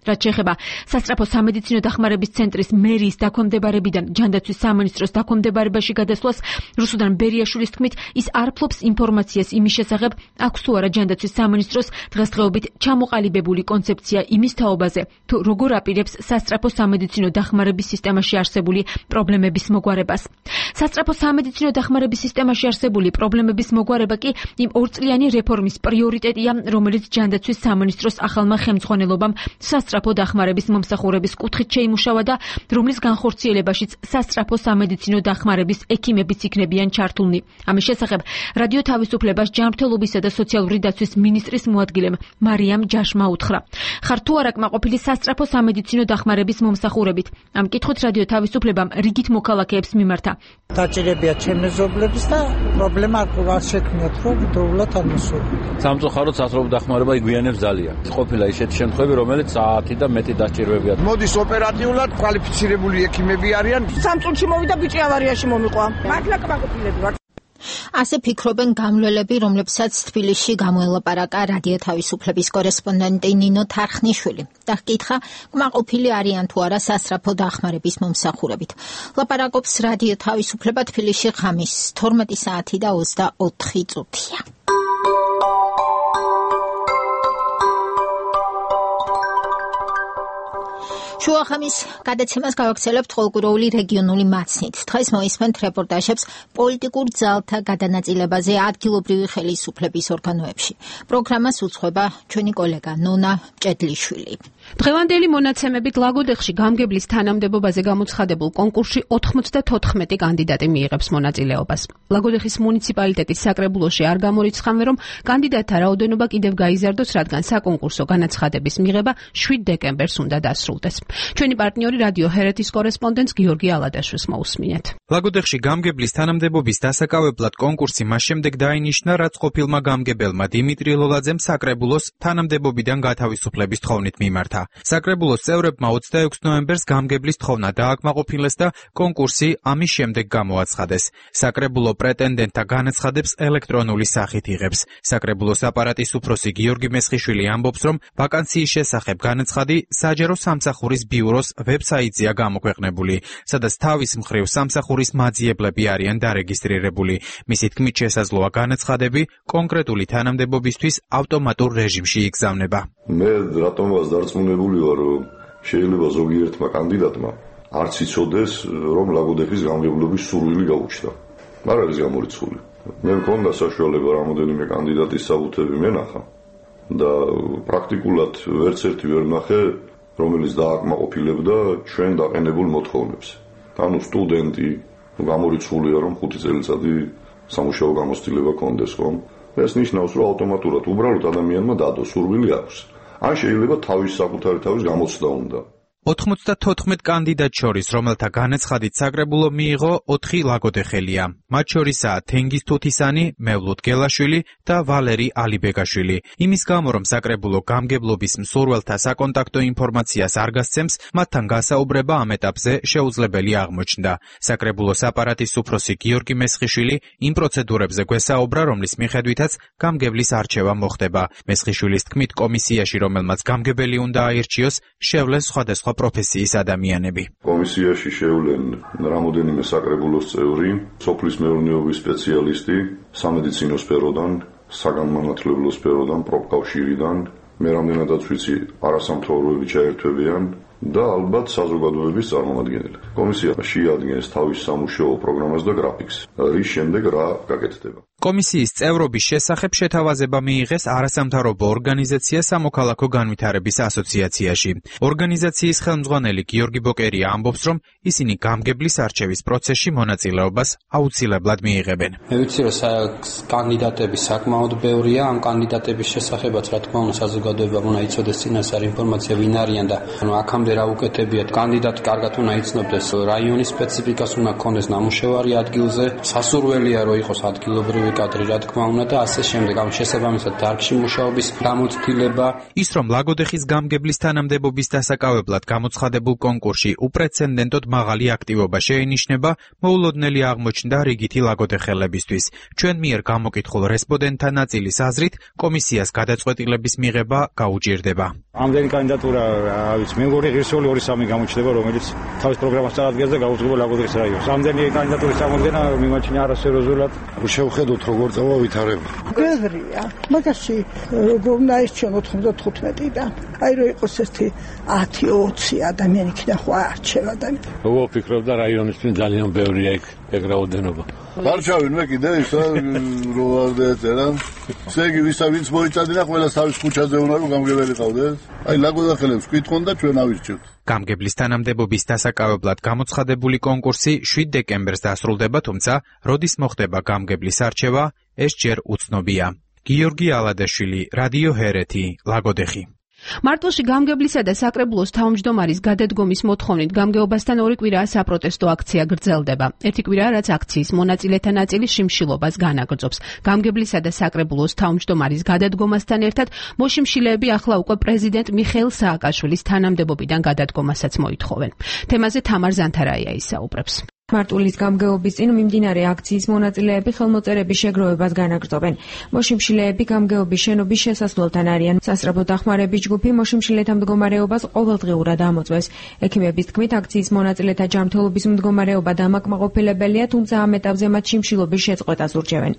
რაც შეეხება სასწრაფო სამედიცინო დახმარების ცენტრის მერიის დაქვემდებარებიდან ჯანდაცვის სამინისტროს დაქვემდებარებაში გადასვლას, რუსუდან ბერიაშვილის თქმით, ის არ ფლობს ინფორმაციას იმის შესახებ, აქვს თუ არა ჯანდაცვის სამინისტროს დღესდღეობით ჩამოყალიბებული კონცეფცია იმის თაობაზე, თუ როგორ აპირებს სასწრაფო სამედიცინო დახმარების სისტემაში არსებული პრობლემების მოგვარებას. სასწრაფო სამედიცინო დახმარების სისტემაში არსებული პრობლემების მოგვარება კი იმ ორწლიანი რეფორმის პრიორიტეტია, რომელიც ჯანდაცვის სამინისტროს ახალმა ხელმძღვანელობამ სასწრაფო დახმარების მომსახურების კუთხით შეიმუშავა და რომლის განხორციელებაშიც სასწრაფო სამედიცინო დახმარების ექიმებიც იქნებიან ჩართულნი. ამის შესახებ რადიო თავისუფლებას ჯანმრთელობისა და სოციალური დაცვის მინისტრის მოადგილემ მარიამ ჯაშმა უთხრა. ხარ თუ არა კმაყოფილი სასწრაფო სამედიცინო დახმარების მომსახურებით? ამ კითხვით რადიო თავისუფლებამ რიგით მოქალაქეებს მიმართა. დაჭირებია ჩემი მეზობლების და პრობლემა არ შექმნიათ, რომ დროულად არ მოსულიყო. სამწუხაროდ სასწრაფო დახმარება იგვიანებს ძალიან. ყოფილა ისეთი შემთხვევები, რომელიც საათი და მეტი დაჭირვებია. მოდის ოპერატიულად კვალიფიცირებული ექიმები არიან. სამ წუთში მოვიდა ბიჭი ავარიაში მომიყვა. მართლა კმაყოფილები ვარ. ასე ფიქრობენ გამლელები, რომლებსაც თბილისში გამოელაპარაკა რადიო თავისუფლების კორესპონდენტი ნინო თარხნიშვილი და ჰკითხა, კმაყოფილი არიან თუ არა სასწრაფო დახმარების მომსახურებით. ლაპარაკობს რადიო თავისუფლება თბილისში ღამის თორმეტი საათი და ოცდაოთხი წუთია. შუახამის გადაცემას გავაგრძელებთ ყოველკვირეული რეგიონული მაცნით. დღეს მოისმენთ რეპორტაჟებს პოლიტიკურ ძალთა გადანაწილებაზე ადგილობრივი ხელისუფლების ორგანოებში. პროგრამას უძღვება ჩვენი კოლეგა ნონა მჭედლიშვილი. დღევანდელი მონაცემებით ლაგოდეხში გამგებლის თანამდებობაზე გამოცხადებულ კონკურსში ოთხმოცდათოთხმეტი კანდიდატი მიიღებს მონაწილეობას. ლაგოდეხის მუნიციპალიტეტის საკრებულოში არ გამორიცხავენ, რომ კანდიდატთა რაოდენობა კიდევ გაიზარდოს, რადგან საკონკურსო განაცხადების მიღება შვიდ დეკემბერს უნდა დასრულდეს. ჩვენი პარტნიორი რადიო ჰერეთის კორესპონდენტს გიორგი ალადაშვილს მოусმინეთ. ლაგოდეხში გამგებლის თანამდებობის დასაკავებლად კონკურსი მას შემდეგ დაინიშნა, რაც ყოფილმა გამგებელმა დიმიტრი ლოლაძემ საკრებულოს თანამდებობიდან გათავისუფლების თხოვნით მიმართა. საკრებულოს წევრებმა ოცდაექვსი ნოემბერს გამგებლის თხოვნა დააკმაყოფილეს და კონკურსი ამის შემდეგ გამოაცხადეს. საკრებულო პრეტენდენტთა განაცხადებს ელექტრონული სახით იღებს. საკრებულოს აპარატის უფროსი გიორგი მესხიშვილი ამბობს, რომ ვაკანსიის შესახებ განაცხადი საჯარო სამსახურის ბიუროს ვებსაიტზეა გამოქვეყნებული, სადაც თავის მხრივ სამსახურის მაძიებლები არიან დარეგისტრირებული. მისი თქმით, შესაძლოა განაცხადები კონკრეტული თანამდებობისთვის ავტომატურ რეჟიმში იგზავნება. მე რატომაც დარწმუნებული ვარ, რომ შეიძლება ზოგიერთმა კანდიდატმა არც იცოდეს, რომ ლაგოდეხის გამგებლობის სურვილი გაუჩნდა. არ არის გამორიცხული. მე მქონდა საშუალება რამოდენიმე კანდიდატის საბუთები მენახა და პრაქტიკულად ვერც ერთი ვერ ნახე, რომელიც დააკმაყოფილებდა ჩვენ დაყენებულ მოთხოვნებს. ანუ სტუდენტი გამორიცხულია, რომ ხუთი წელიწადი სამუშაო გამოცდილება კონდეს, ხომ? ეს ნიშნავს, რომ ავტომატურად უბრალოდ ადამიანმა დადო სურვილი აქვს. ან შეიძლება თავის საკუთარი თავის გამოცდა უნდა. ოთხმოცდათოთხმეტ კანდიდატ შორის, რომელთა განაცხადით საკრებულო მიიღო, ოთხი ლაგოდეხელია. მათ შორისაა თენგიზ თუთისანი, მევლუდ გელაშვილი და ვალერი ალიბეგაშვილი. იმის გამო, რომ საკრებულო გამგებლობის მსურველთა საკონტაქტო ინფორმაციას არ გასცემს, მათთან გასაუბრება ამ ეტაპზე შეუძლებელი აღმოჩნდა. საკრებულოს აპარატის უფროსი გიორგი მესხიშვილი იმ პროცედურებზე გვესაუბრა, რომლის მიხედვითაც გამგებლის არჩევა მოხდება. მესხიშვილის თქმით, კომისიაში, რომელმაც გამგებელი უნდა აირჩიოს, შევლენ სხვადასხვა პროფესიის ადამიანები. კომისიაში შევლენ რამოდენიმე საკრებულოს წევრი, სოფლის მეურნეობის სპეციალისტი, სამედიცინო სფეროდან, საგანმანათლებლო სფეროდან, პროფკავშირიდან, მე რამდენადაც ვიცი, არასამთავრობოები ჩაერთვებიან და ალბათ საზოგადოების წარმომადგენელი. კომისია შეადგენს თავის სამუშაო პროგრამას და გრაფიკს, რის შემდეგ რა გაკეთდება. კომისიის წევრობის შესახებ შეთავაზება მიიღეს არასამთავრობო ორგანიზაცია სამოქალაქო განვითარების ასოციაციაში. ორგანიზაციის ხელმძღვანელი გიორგი ბოკერია ამბობს, რომ ისინი გამგებლის არჩევის პროცესში მონაწილეობას აუცილებლად მიიღებენ. მე ვიცი, რომ კანდიდატები საკმაოდ ბევრია, ამ კანდიდატების შესახებაც რა თქმა უნდა საზოგადოებამ უნდა იცოდეს წინასწარ ინფორმაცია ვინ არიან და ანუ აქამდე რა უკეთებიათ. კანდიდატი კარგად უნდა იცნობდეს რაიონის სპეციფიკას, უნდა ქონდეს ნამუშევარი ადგილზე, სასურველია რომ იყოს ადგილობრივი კადრი, რა თქმა უნდა და ასე შემდეგ. ამ შესაბამისად დარგში მუშაობის გამოცდილება. ის რომ ლაგოდეხის გამგებლის თანამდებობის დასაკავებლად გამოცხადებულ კონკურსში უპრეცედენტოდ მაღალი აქტივობა შეინიშნება, მოულოდნელი აღმოჩნდა რიგითი ლაგოდეხელებისთვის. ჩვენ მიერ გამოკითხულ რესპონდენტთა ნაწილის აზრით, კომისიას გადაწყვეტილების მიღება გაუჭირდება. ამდენი კანდიდატურა, რა ვიცი, მე მგონი ღირსეული ორი სამი გამოჩნდება, რომელიც თავის პროგრამას წარადგენს და გაუძღვება ლაგოდეხის რაიონს. ამდენი კანდიდატურის წამოდგენა მიმაჩნია არასერიოზულად. შევხედოთ როგორ წავა ვითარება. გეღრია, მაგაში როგორ ნაირჩიონ ოთხმოცდათოთხმეტიდან. აი რო იყოს ერთი ათი ოცი ადამიანი იქიდან ხო არჩევა და როგორ ფიქრობ და რაიონისთვის ძალიან ბევრია იქ ეგ რაოდენობა. გარჩავენ მე კიდე ისა რო არ დაეწერა. ესე იგი ვისა ვინც მოიწადინა ყველას თავის ქუჩაზე უნდა რომ გამგებელი ყავდეს. აი ლაგოდახელებს კითხონ და ჩვენ ავირჩევთ. გამგებლის თანამდებობის დასაკავებლად გამოცხადებული კონკურსი შვიდ დეკემბერს დასრულდება, თუმცა როდის მოხდება გამგებლის არჩევა, ეს ჯერ უცნობია. გიორგი ალადაშვილი, რადიო ჰერეთი, ლაგოდეხი. მარტვილში გამგებლისა და საკრებულოს თავმჯდომარის გადადგომის მოთხოვნით გამგეობასთან ორი კვირაა საპროტესტო აქცია გრძელდება. ერთი კვირაა, რაც აქციის მონაწილეთა ნაწილი შიმშილობას განაგრძობს. გამგებლისა და საკრებულოს თავმჯდომარის გადადგომასთან ერთად მოშიმშილეები ახლა უკვე პრეზიდენტ მიხეილ სააკაშვილის თანამდებობიდან გადადგომასაც მოითხოვენ. თემაზე თამარ ზანთარაია ისაუბრებს. მარტვილის გამგეობის წინ მიმდინარე აქციის მონაწილეები ხელმოწერების შეგროვებას განაგრძობენ. მოშიმშილეები გამგეობის შენობის შესასვლელთან არიან. სასწრაფო დახმარების ჯგუფი მოშიმშილეთა მდგომარეობას ყოველდღიურად ამოწმებს. ექიმების თქმით, აქციის მონაწილეთა ჯანმრთელობის მდგომარეობა დამაკმაყოფილებელია, თუმცა ამ ეტაპზე მათ შიმშილობის შეწყვეტას ურჩევენ.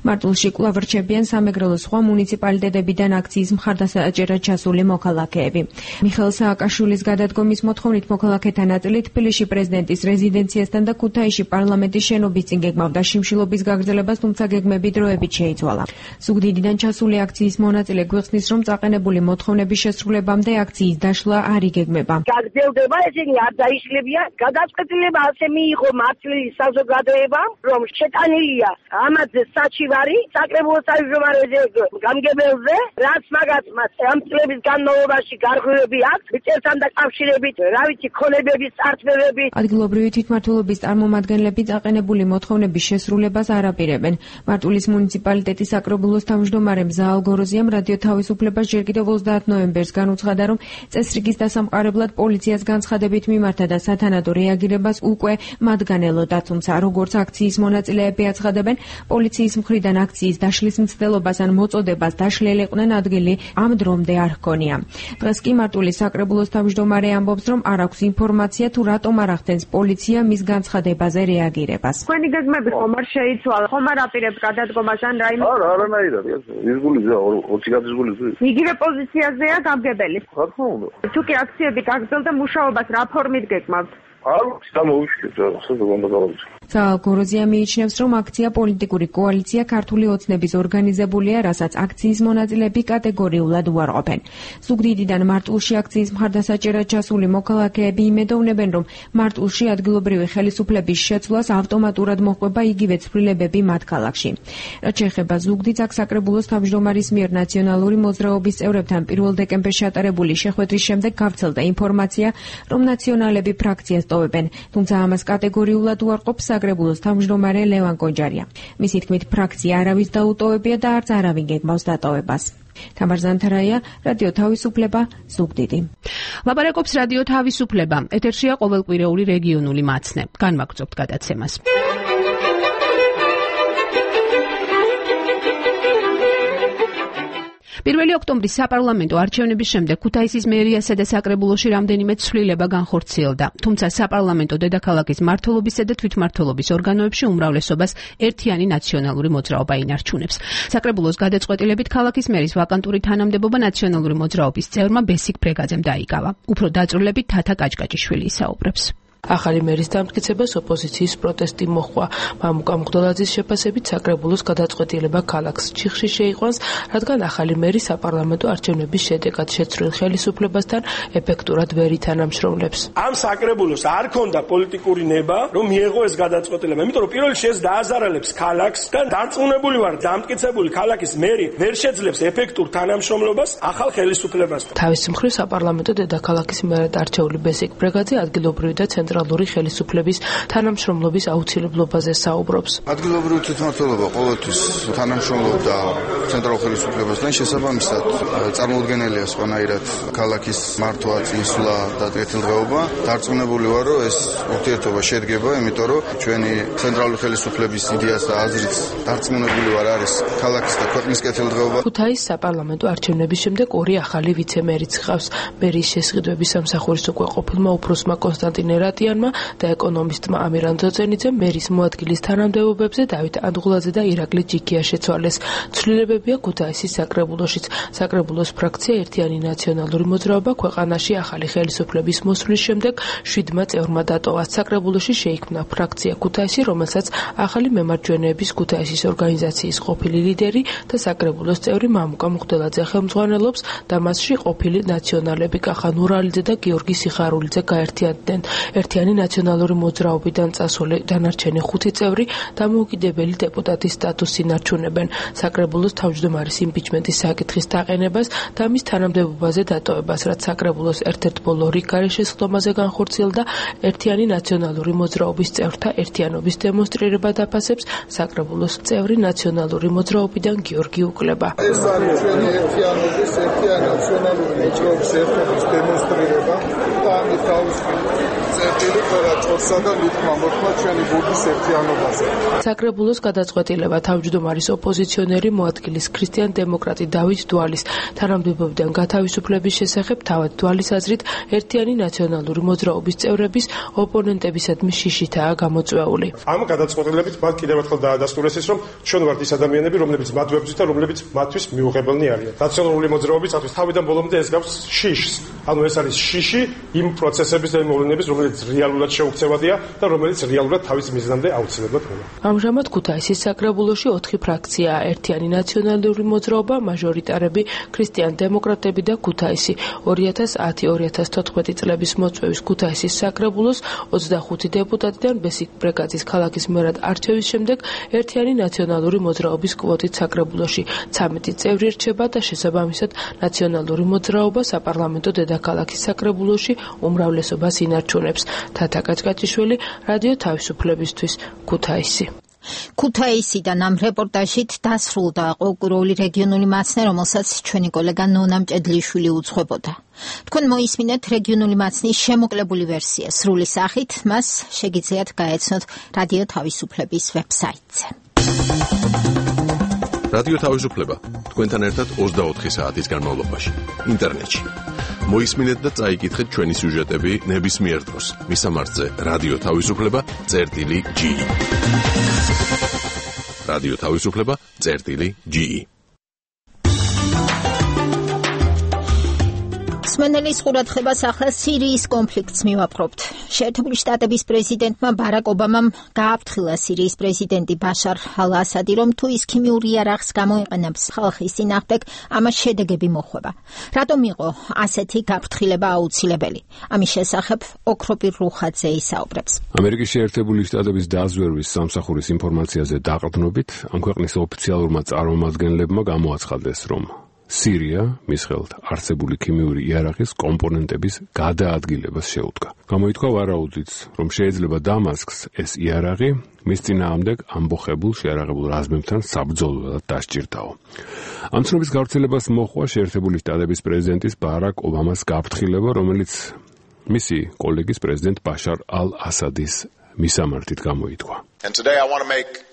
მარტვილში კვლავ რჩებიან სამეგრელოს სხვა მუნიციპალიტეტებიდან აქციის მხარდასაჭერად ჩასული მოქალაქეები. მიხეილ სააკაშვილის გადადგომის მოთხოვნით მოქალაქეთა ნაწილი თბილისში პრეზიდენტის რეზიდენციასთან და ქუთაისში პარლამენტის შენობის წინ გეგმავდა შიმშილობის გაგრძელებას, თუმცა გეგმები დროებით შეიცვალა. ზუგდიდიდან ჩასული აქციის მონაწილე გვიხსნის, რომ წაყენებული მოთხოვნების შესრულებამდე აქციის დაშლა არ იგეგმება. გაგრძელდება, ესენი არ დაიშლებიან. გადაწყვეტილება ასე მიიღო მართლის საზოგადოებამ, რომ შეტანილია ამაზე საჩივარი საკრებულოს თავმჯდომარეზე გამგებელზე, რაც მაგათმა ამ წლების განმავლობაში გარღვევები აქვს, მიწებთან დაკავშირებით, რა ვიცი, ქონებების წარქმევები. ადგილობრივი თვითმმართველობის წარმომადგენლები წაყენებული მოთხოვნების შესრულებას არ აპირებენ. მარტვილის მუნიციპალიტეტის საკრებულოს თავმჯდომარემ ზაალ გოროზიამ რადიო თავისუფლებას ჯერ კიდევ ოცდაათ ნოემბერს განუცხადა, რომ წესრიგის დასამყარებლად პოლიციას განცხადებით მიმართა და სათანადო რეაგირებას უკვე მათგან ელოდა, თუმცა როგორც აქციის მონაწილეები აცხადებენ, პოლიციის მხრიდან აქციის დაშლის მცდელობას ან მოწოდებას დაშლელიყვნენ ადგილი ამ დრომდე არ ჰქონია. დღეს კი მარტვილის საკრებულოს თავმჯდომარე ამბობს, რომ არ აქვს ინფორმაცია თუ რატომ არ ახდენს პოლიცია მის განცხადებაზე რეაგირებას. თქვენი გეგმები ხომ არ შეიცვალა, ხომ არ აპირებთ გადადგომას ან რაიმე? არა, არანაირად, ის გულიზეა, ოცი გადის გულიზეა. იგივე პოზიციაზეა გამგებელი. რა თქმა უნდა. თუ კი აქციები გაგრძელდა, მუშაობას რა ფორმით გეგმავთ? არა, სამოვიშკეთ, ასე უნდა გავაკეთოთ. ზაალ გოროზია მიიჩნევს, რომ აქცია პოლიტიკური კოალიცია ქართული ოცნების ორგანიზებულია, რასაც აქციის მონაწილეები კატეგორიულად უარყოფენ. ზუგდიდიდან მარტვილში აქციის მხარდასაჭერად ჩასული მოქალაქეები იმედოვნებენ, რომ მარტვილში ადგილობრივი ხელისუფლების შეცვლას ავტომატურად მოჰყვება იგივე ცვლილებები მათ ქალაქში. რაც შეეხება ზუგდიდს, აქ საკრებულოს თავმჯდომარის მიერ ნაციონალური მოძრაობის წევრებთან პირველ დეკემბერში ატარებული შეხვედრის შემდეგ გავრცელდა ინფორმაცია, რომ ნაციონალები ფრაქციას ტოვებენ, თუმცა ამას კატეგორიულად უარყოფს საკრებულოს თავმჯდომარე ლევან კონჯარია. მისი თქმით, ფრაქცია არავის დაუტოვებია და არც არავინ გეგმავს დატოვებას. თამარ ზანთარაია, რადიო თავისუფლება, ზუგდიდი. ლაპარაკობს რადიო თავისუფლება. ეთერშია ყოველკვირეული რეგიონული მაცნე. განვაგრძობთ გადაცემას. პირველი ოქტომბრის საპარლამენტო არჩევნების შემდეგ ქუთაისის მერიასა და საკრებულოში რამდენიმე ცვლილება განხორციელდა. თუმცა საპარლამენტო დედაქალაქის მმართველობისა და თვითმმართველობის ორგანოებში უმრავლესობას ერთიანი ნაციონალური მოძრაობა ინარჩუნებს. საკრებულოს გადაწყვეტილებით ქალაქის მერის ვაკანტური თანამდებობა ნაციონალური მოძრაობის წევრმა ბესიკ ბრეგაძემ დაიკავა. უფრო დაწვრილებით თათა კაჭკაჭიშვილი ისაუბრებს. ახალი მერის დამტკიცებას ოპოზიციის პროტესტი მოჰყვა. მამუკა მღვდელაძის შეფასებით საკრებულოს გადაწყვეტილება ქალაქს ჩიხში შეიყვანს, რადგან ახალი მერი საპარლამენტო არჩევნების შედეგად შეცვლილ ხელისუფლებასთან ეფექტურად ვერ ითანამშრომლებს. ამ საკრებულოს არ ქონდა პოლიტიკური ნება, რომ მიეღო ეს გადაწყვეტილება, იმიტომ რომ პირველ რიგში ეს დააზარალებს ქალაქს და დარწმუნებული ვარ, დამტკიცებული ქალაქის მერი ვერ შეძლებს ეფექტურ თანამშრომლობას ახალ ხელისუფლებასთან. თავის მხრივ საპარლამენტო დედაქალაქის მერად არჩეული ბესიკ ბრეგაძე ადგილობრივი და ცენტრალური ხელისუფლების თანამშრომლობის აუცილებლობაზე საუბრობს. ადგილობრივი თვითმმართველობა ყოველთვის თანამშრომლობდა ცენტრალურ ხელისუფლებასთან, შესაბამისად წარმოუდგენელია სხვანაირად ქალაქის მართვა, წინსვლა და კეთილდღეობა. დარწმუნებული ვარ, რომ ეს ურთიერთობა შედგება, იმიტომ რომ ჩვენი ცენტრალური ხელისუფლების იდეას და აზრით დარწმუნებული ვარ არის ქალაქის და ქვეყნის კეთილდღეობა. ქუთაისის საპარლამენტო არჩევნების შემდეგ ორი ახალი ვიცე-მერიც ჰყავს. მერის შესყიდვების სამსახურის უკვე ყოფილმა უფროსმა კონსტანტინე რატიანმა და ეკონომისტმა ამირან ძოძენიძემ მერის მოადგილის თანამდებობებზე დავით ანდღულაძე და ირაკლი ჯიქია შეცვალეს. ცვლილებებია ქუთაისის საკრებულოშიც. საკრებულოს ფრაქცია ერთიანი ნაციონალური მოძრაობა ქვეყანაში ახალი ხელისუფლების მოსვლის შემდეგ შვიდმა წევრმა დატოვა. საკრებულოში შეიქმნა ფრაქცია ქუთაისი, რომელსაც ახალი მემარჯვენეების ქუთაისის ორგანიზაციის ყოფილი ლიდერი და საკრებულოს წევრი მამუკა მღვდელაძე ხელმძღვანელობს და მასში ყოფილი ნაციონალები კახა ნურალიძე და გიორგი სიხარულიძე გაერთიანდნენ. ერთიანი ნაციონალური მოძრაობიდან წასული დანარჩენი ხუთი წევრი დამოუკიდებელი დეპუტატის სტატუსს ინარჩუნებენ. საკრებულოს თავმჯდომარის იმპიჩმენტის საკითხის დაყენებას და მის თანამდებობაზე დატოვებას, რაც საკრებულოს ერთ-ერთ ბოლო რიგ გარეშესხდომაზე განხორციელდა, ერთიანი ნაციონალური მოძრაობის წევრთა ერთიანობის დემონსტრირება დაფასებს საკრებულოს წევრი ნაციონალური მოძრაობიდან გიორგი უკლება. ეს არის ჩვენი ერთიანობის, ერთიანი ნაციონალური მოძრაობის ერთობის დემონსტრირება და ამის თავის ხელი ყველა ჭორსა და ლიტმა მოხმა ჩვენი ბურთის ერთიანობაზე. საკრებულოს გადაწყვეტილება თავმჯდომარის ოპოზიციონერი მოადგილის ქრისტიან დემოკრატი დავით დვალის თანამდებობიდან გათავისუფლების შესახებ თავად დვალის აზრით ერთიანი ნაციონალური მოძრაობის წევრების ოპონენტებისადმი შიშითაა გამოწვეული. ამ გადაწყვეტილებით მათ კიდევ ერთხელ დაადასტურეს ის, რომ ჩვენ ვართ ის ადამიანები, რომლებიც მათ ვებრძვით და რომლებიც მათთვის მიუღებელნი არიან. ნაციონალური მოძრაობისათვის თავიდან ბოლომდე ეს გავს შიშს. ანუ ეს არის შიში იმ პროცესების და იმ მოვლენების, რომელიც რეალურად შეუქცევადია და რომელიც რეალურად თავის მიზნამდე აუცილებლად მოვა. ამჟამად ქუთაისის საკრებულოში ოთხი ფრაქციაა: ერთიანი ნაციონალური მოძრაობა, მაჟორიტარები, ქრისტიან დემოკრატები და ქუთაისი. ორი ათას ათი ორი ათას თოთხმეტი წლების მოწვევის ქუთაისის საკრებულოს ოცდახუთი დეპუტატიდან ბესიკ ბრეგაძის ქალაქის მერად არჩევის შემდეგ ერთიანი ნაციონალური მოძრაობის კვოტით საკრებულოში ცამეტი წევრი რჩება და შესაბამისად ნაციონალური მოძრაობა საპარლამენტო დედაქალაქის საკრებულოში უმრავლესობას ინარჩუნებს. თათა კაჭკაჭიშვილი, რადიო თავისუფლებისთვის, ქუთაისი. ქუთაისიდან ამ რეპორტაჟით დასრულდა ყოყუროული რეგიონული მაცნე, რომელსაც ჩვენი კოლეგა ნონა მჭედლიშვილი უძღვებოდა. თქვენ მოისმინეთ რეგიონული მაცნის შემოკლებული ვერსია სრული სახით, მას შეგიძლიათ გაეცნოთ რადიო თავისუფლების ვებსაიტზე. რადიო თავისუფლება თქვენთან ერთად ოცდაოთხი საათის განმავლობაში ინტერნეტში. მოისმინეთ და წაიკითხეთ ჩვენი სიუჟეტები ნებისმიერ დროს მისამართზე რადიო თავისუფლება წერტილი ჯი. რადიო თავისუფლება წერტილი ჯი. სმენელის ყურადღებას ახლა სირიის კონფლიქტს მივაპყრობთ. შეერთებული შტატების პრეზიდენტმა ბარაკ ობამამ გააფრთხილა სირიის პრეზიდენტი ბაშარ ალ-ასადი, რომ თუ ის ქიმიურ იარაღს გამოიყენებს ხალხის წინააღმდეგ, ამას შედეგები მოხვება. რატომ იყო ასეთი გაფრთხილება აუცილებელი? ამის შესახებ ოქროპირ რუხაძე ისაუბრებს. ამერიკის შეერთებული შტატების დაზვერვის სამსახურის ინფორმაციაზე დაყრდნობით, ამ ქვეყნის ოფიციალურმა წარმომადგენლებმა გამოაცხადეს, რომ სირია მის ხელთ არსებული ქიმიური იარაღის კომპონენტების გადაადგილებას შეუდგა. გამოითქვა ვარაუდიც, რომ შეიძლება დამასკს ეს იარაღი მის წინააღმდეგ ამბოხებულ შეიარაღებულ რაზმებთან საბრძოლველად დასჭირდაო. ამ ცნობის გავრცელებას მოჰყვა შეერთებული შტატების პრეზიდენტის ბარაკ ობამას გაფრთხილება, რომელიც მისი კოლეგის პრეზიდენტ ბაშარ ალ-ასადის მისამართით გამოითქვა.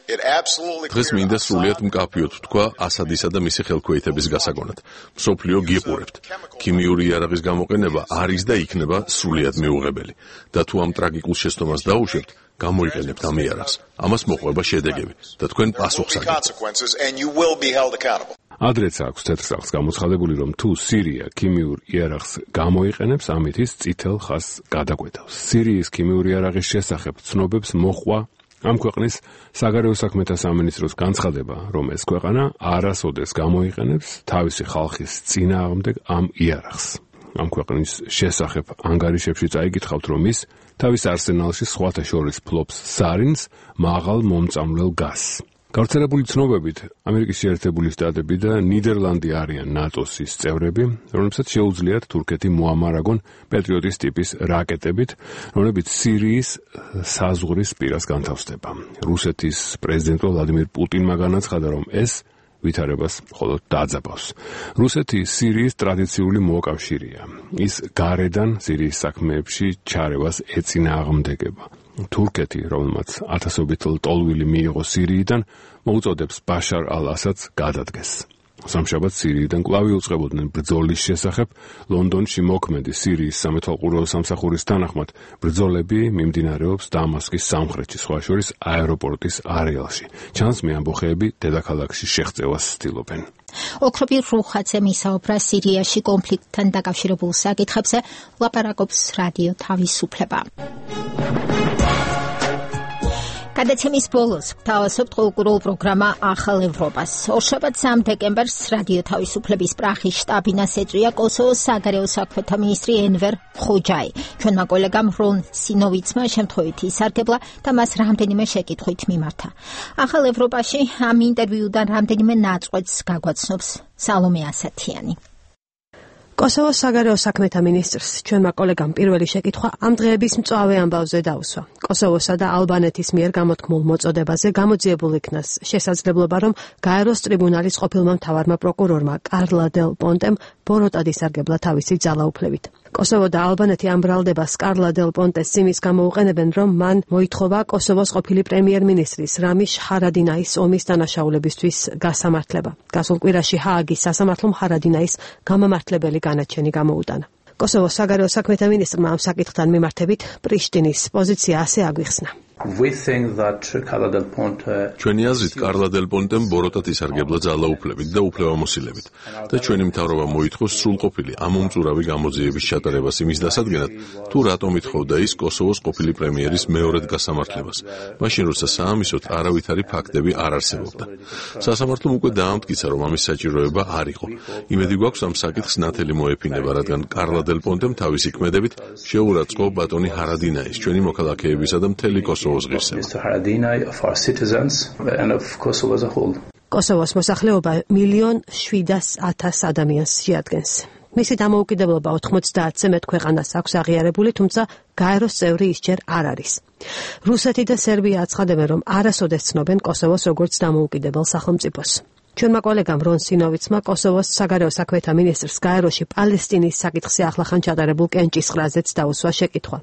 დღეს მინდა სრულიად მკაფიოდ ვთქვა ასადისა და მისი ხელქვეითების გასაგონად. მსოფლიო გიყურებთ. ქიმიური იარაღის გამოყენება არის და იქნება სრულიად მიუღებელი. და თუ ამ ტრაგიკულ შეცდომას დაუშვებთ, გამოიყენებთ ამ იარაღს. ამას მოყვება შედეგები და თქვენ პასუხს აგებთ. ადრეც აქვს თეთრსახს გამოცხადებული, რომ თუ სირია ქიმიურ იარაღს გამოიყენებს, ამით ის წითელ ხაზს გადაკვეთავს. სირიის ქიმიური იარაღის შესახებ ცნობებს მოჰყვა ამ ქვეყნის საგარეო საქმეთა სამინისტროს განცხადება, რომ ეს ქვეყანა არასოდეს გამოიყენებს თავისი ხალხის წინააღმდეგ ამ იარაღს. ამ ქვეყნის შესახებ ანგარიშებში წაიკითხავთ, რომ ის თავის არსენალში სხვათა შორის ფლობს სარინს, მაღალ მომწამვლელ გაზს. გავრცელებული ცნობებით, ამერიკის შეერთებული შტატები და ნიდერლანდი არიან ნატოს ის წევრები, რომლებსაც შეუძლიათ თურქეთი მოამარაგონ პეტრიოტის ტიპის რაკეტებით, რომლებიც სირიის საზღვრის პირას განთავსდება. რუსეთის პრეზიდენტ ვლადიმირ პუტინმა განაცხადა, რომ ეს ვითარებას მხოლოდ დააძაბავს. რუსეთი სირიის ტრადიციული მოკავშირეა. ის გარედან სირიის საქმეებში ჩარევას ეწინააღმდეგება. თურქეთი, რომელმაც ათასობით ლტოლვილი მიიღო სირიიდან, მოუწოდებს ბაშარ ალ-ასადს გადადგეს. სამშაბათს სირიიდან კვლავ იუწყებოდნენ ბრძოლის შესახებ. ლონდონში მოქმედი სირიის სამეთვალყურეო სამსახურის თანახმად ბრძოლები მიმდინარეობს დამასკის სამხრეთში, სხვა შორის აეროპორტის არეალში. ჩანს მე ამბოხეები დედაქალაქში შეღწევას ცდილობენ. ოქროპირ რუხაძე მისაუბრა სირიაში კონფლიქტთან დაკავშირებულ საკითხებზე, ლაპარაკობს რადიო თავისუფლება. გადაცემის ბოლოს გთავაზობთ ყოლკურულ პროგრამა ახალ ევროპას. ორშაბათს სამ დეკემბერს რადიო თავისუფლების პრაღის შტაბინას ეწვია კოსოვოს საგარეო საქმეთა მინისტრი ენვერ ხოჯაი. ჩვენმა კოლეგამ რონ სინოვიცმა შემთხვევით ისარგებლა და მას რამდენიმე შეკითხვით მიმართა. ახალ ევროპაში ამ ინტერვიუდან რამდენიმე ნაწყვეტს გაგვაცნობს სალომე ასათიანი. კოსოვოს საგარეო საქმეთა მინისტრს ჩვენმა კოლეგამ პირველი შეკითხვა ამ დღეების მწვავე ამბავზე დაუსვა. კოსოვოსა და ალბანეთის მიერ გამოთქმულ მოწოდებაზე გამოძიებულ იქნას შესაძლებლობა, რომ გაეროს ტრიბუნალის ყოფილმა მთავარმა პროკურორმა კარლა დელ პონტემ ბოროტად ისარგებლა თავისი ძალაუფლებით. კოსოვო და ალბანეთი ამ ბრალდებას კარლა დელ პონტეს სიმის გამოუყენებენ, რომ მან მოითხოვა კოსოვოს ყოფილი პრემიერ-მინისტრის რამიშ ჰარადინაის ომის დანაშაულებისთვის გასამართლება. გასულ კვირაში ჰააგის სასამართლომ ჰარადინაის გამამართლებელი განაჩენი გამოუტანა. კოსოვოს საგარეო საქმეთა მინისტრმა ამ საკითხთან მიმართებით პრიშტინის პოზიცია ასე აგვიხსნა. ჩვენი აზრით კარლა დელ პონტემ ბოროტად ისარგებლა ძალაუფლებით და უფლებამოსილებით და ჩვენი მთავრობა მოითხოვს სრულყოფილი ამომწურავი გამოძიების ჩატარებას იმის დასადგენად, თუ რატომ ითხოვდა ის კოსოვოს ყოფილი პრემიერის მეორედ გასამართლებას, მაშინ როცა საამისოდ არავითარი ფაქტები არ არსებობდა. სასამართლომ უკვე დაამტკიცა, რომ ამის საჭიროება არ იყო. იმედი გვაქვს ამ საკითხს ნათელი მოეფინება, რადგან კარლა დელ პონტემ თავისი ქმედებით შეურაცხყო ბატონი ჰარადინაის, ჩვენი მოქალაქეებისა და მთელი კოსოვოს კოსოვოს მოსახლეობა მილიონ შვიდას ათას ადამიანს შეადგენს. მისი დამოუკიდებლობა ოთხმოცდაათზე მეტ ქვეყანას აქვს აღიარებული, თუმცა გაეროს წევრი ის ჯერ არ არის. რუსეთი და სერბია აცხადებენ, რომ არასოდეს ცნობენ კოსოვოს როგორც დამოუკიდებელ სახელმწიფოს. ჩვენმა კოლეგამ რონ სინოვიცმა კოსოვოს საგარეო საქმეთა მინისტრს გაეროში პალესტინის საკითხზე ახლახან ჩატარებულ კენჭისყრაზეც დაუსვა შეკითხვა.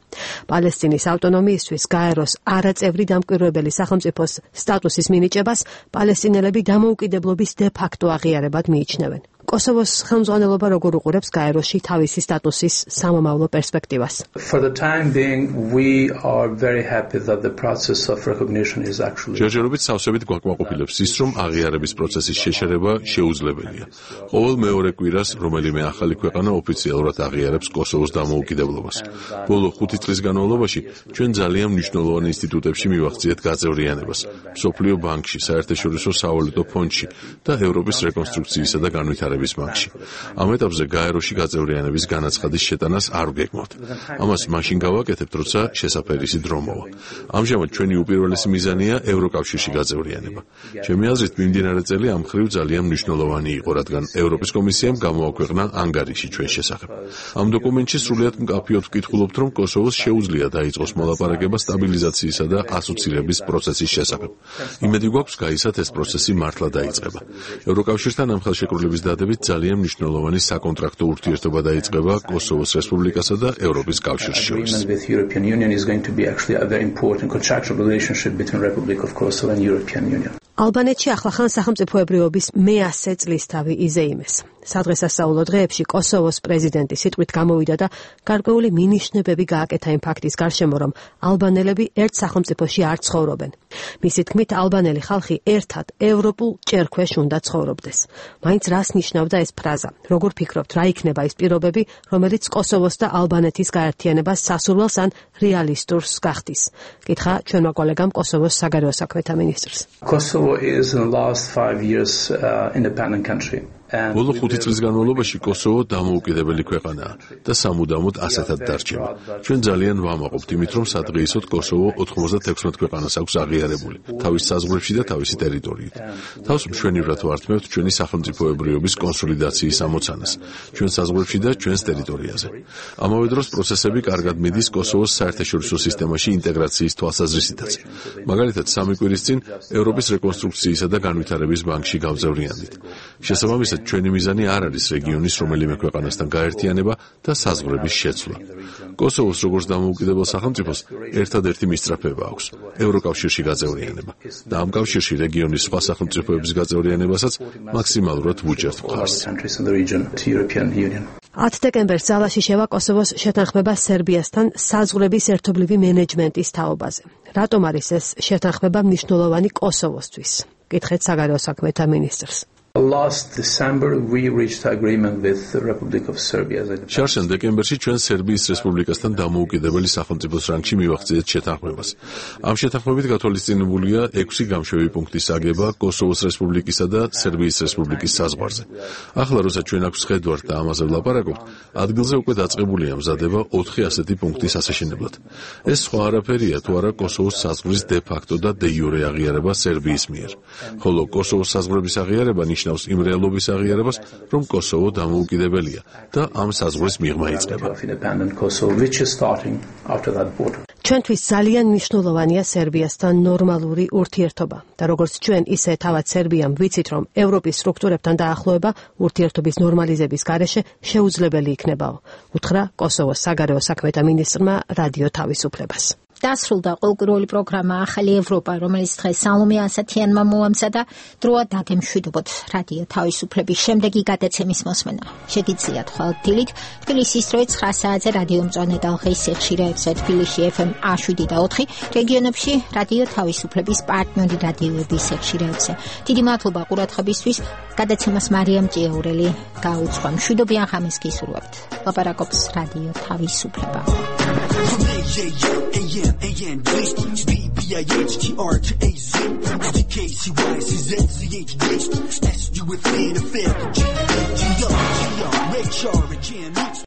პალესტინის ავტონომიისთვის გაეროს არაწევრი დამკვირვებელი სახელმწიფოს სტატუსის მინიჭებას პალესტინელები დამოუკიდებლობის დე ფაქტო აღიარებად მიიჩნევენ. კოსოვოს ხელმძღვანელობა როგორ უყურებს გაეროში თავისი სტატუსის სამომავლო პერსპექტივას? ჯერჯერობით სავსებით გვაკმაყოფილებს ის, რომ აღიარების პროცესის შეშერება შეუძლებელია. ყოველ მეორე კვირას რომელიმე ახალი ქვეყანა ოფიციალურად აღიარებს კოსოვოს დამოუკიდებლობას. ბოლო ხუთი წლის განმავლობაში ჩვენ ძალიან მნიშვნელოვან ინსტიტუტებში მივახციეთ გაწევრიანებას, მსოფლიო ბანკში, საერთაშორისო სავალუტო ფონდში და ევროპის რეკონსტრუქციისა და განვითარების ბანკში. ამ ეტაპზე გაეროში გაწევრიანების განაცხადის შეტანას არ ვგეგმავთ. ამას მაშინ გავაკეთებთ, როცა შესაფერისი დრო მოვა. ამჟამად ჩვენი უპირველესი მიზანია ევროკავშირში გაწევრიანება. ჩემი აზრით, მიმდინარე წელი ამ მხრივ ძალიან მნიშვნელოვანი იყო, რადგან ევროპის კომისიამ გამოაქვეყნა ანგარიში ჩვენ შესახებ. ამ დოკუმენტში სრულიად მკაფიოდ ვკითხულობთ, რომ კოსოვოს შეუძლია დაიწყოს მოლაპარაკება სტაბილიზაციისა და ასოცირების პროცესის შესახებ. იმედი გვაქვს, გაისად ეს პროცესი მართლა დაიწყება. ევროკავშირთან ამ ხელშეკრულების დადებით ძალიან მნიშვნელოვანი საკონტრაქტო ურთიერთობა დაიწყება კოსოვოს რესპუბლიკასა და ევროპის კავშირს შორის. ალბანეთში ახლახან სახელმწიფოებრიობის მეასე წლისთავი იზეიმეს. სადღესასწაულო დღეებში კოსოვოს პრეზიდენტი სიტყვით გამოვიდა და გარკვეული მინიშნებები გააკეთა იმ ფაქტის გარშემო, რომ ალბანელები ერთ სახელმწიფოში არ ცხოვრობენ. მისი თქმით, ალბანელი ხალხი ერთად ევროპულ ჭერქვეშ უნდა ცხოვრობდეს. მაინც რას ნიშნავდა ეს ფრაზა? როგორ ფიქრობთ, რა იქნება ის პირობები, რომელიც კოსოვოს და ალბანეთის გაერთიანებას სასურველს ან რეალისტურს გახდის? კითხა ჩვენმა კოლეგამ კოსოვოს საგარეო საქმეთა მინისტრს. Kosovo is in the last five years uh, independent country. ბოლო ხუთი წლის განმავლობაში კოსოვო დამოუკიდებელი ქვეყანაა და სამუდამოდ ასეთად დარჩება. ჩვენ ძალიან ვამაყობთ იმით, რომ სადღეისოდ კოსოვო ოთხმოცდათექვსმეტ ქვეყანას აქვს აღიარებული, თავის საზღვრებში და თავისი ტერიტორიით. თავს მშვენივრად ვართმევთ ჩვენი სახელმწიფოებრიობის კონსოლიდაციის ამოცანას, ჩვენ საზღვრებში და ჩვენს ტერიტორიაზე. ამავე დროს პროცესები კარგად მიდის კოსოვოს საერთაშორისო სისტემაში ინტეგრაციის თვალსაზრისითაც. მაგალითად, სამი კვირის წინ ევროპის რეკონსტრუქციისა და განვითარების ბანკში გავწევრიანდით. შესაბამისად, ჩვენი მიზანი არ არის რეგიონის რომელიმე ქვეყანასთან გაერთიანება და საზღვრების შეცვლა. კოსოვოს როგორც დამოუკიდებელ სახელმწიფოს ერთადერთი მისწრაფება აქვს ევროკავშირში გაწევრიანება და ამ კავშირში რეგიონის სხვა სახელმწიფოების გაწევრიანებასაც მაქსიმალურად ვუჭერთ მხარს. ათ დეკემბერს ძალაში შევა კოსოვოს შეთანხმება სერბიასთან საზღვრების ერთობლივი მენეჯმენტის თაობაზე. რატომ არის ეს შეთანხმება მნიშვნელოვანი კოსოვოსთვის? კითხეთ საგარეო საქმეთა მინისტრს. Last December we reached agreement with the Republic of Serbia. შარშენ დეკემბერში ჩვენ სერბიის რესპუბლიკასთან დამოუკიდებელი სახელმწიფოს რანგში მივახციეთ შეთანხმებას. ამ შეთანხმებით გათვალისწინებულია ექვსი გამშვები პუნქტის აგება კოსოვოს რესპუბლიკისა და სერბიის რესპუბლიკის საზღვარზე. ახლა როცა ჩვენ აქვს ხედვართ და ამაზე ვლაპარაკობთ, ადგილზე უკვე დაწყებულია მზადება ოთხი ასეთი პუნქტის ასაშენებლად. ეს სხვა არაფერია თუ არა კოსოვოს საზღვრის დე ფაქტო და დე იურე აღიარება სერბიის მიერ. ხოლო კოსოვოს საზღვრების აღიარება ნიშნავს ნიშნავს იმ რეალობის აღიარებას, რომ კოსოვო დამოუკიდებელია და ამ საზღვრის მიღმა იწყება. ჩვენთვის ძალიან მნიშვნელოვანია სერბიასთან ნორმალური ურთიერთობა და როგორც ჩვენ, ისე თავად სერბიამ ვიცით, რომ ევროპის სტრუქტურებთან დაახლოება ურთიერთობის ნორმალიზების გარეშე შეუძლებელი იქნებაო, უთხრა კოსოვოს საგარეო საქმეთა მინისტრმა რადიო თავისუფლებას. დასრულდა ყოველკვირეული პროგრამა ახალი ევროპა, რომელიც დღეს სალომე ასათიანმა მოამზადა. დროა დაგემშვიდობოთ რადიო თავისუფლების შემდეგი გადაცემის მოსმენა. შეგიძლიათ ხვალ დილით თბილისის დროით ცხრა საათზე რადიო მწვანე ტალღის სიხშირეებზე თბილისში ეფ ემ შვიდი და ოთხი, რეგიონებში რადიო თავისუფლების პარტნიორი რადიოების სიხშირეებზე. დიდი მადლობა ყურადღებისთვის. გადაცემას მარიამ ჭიაურელი გაუძღვა. მშვიდობიან ღამეს გისურვებთ. ლაპარაკობს რადიო თავისუფლება. A M, A N, B B I H T R to A Z, D K C Y C Z Z H D S U with N F L G G R G R Ray Charlie G N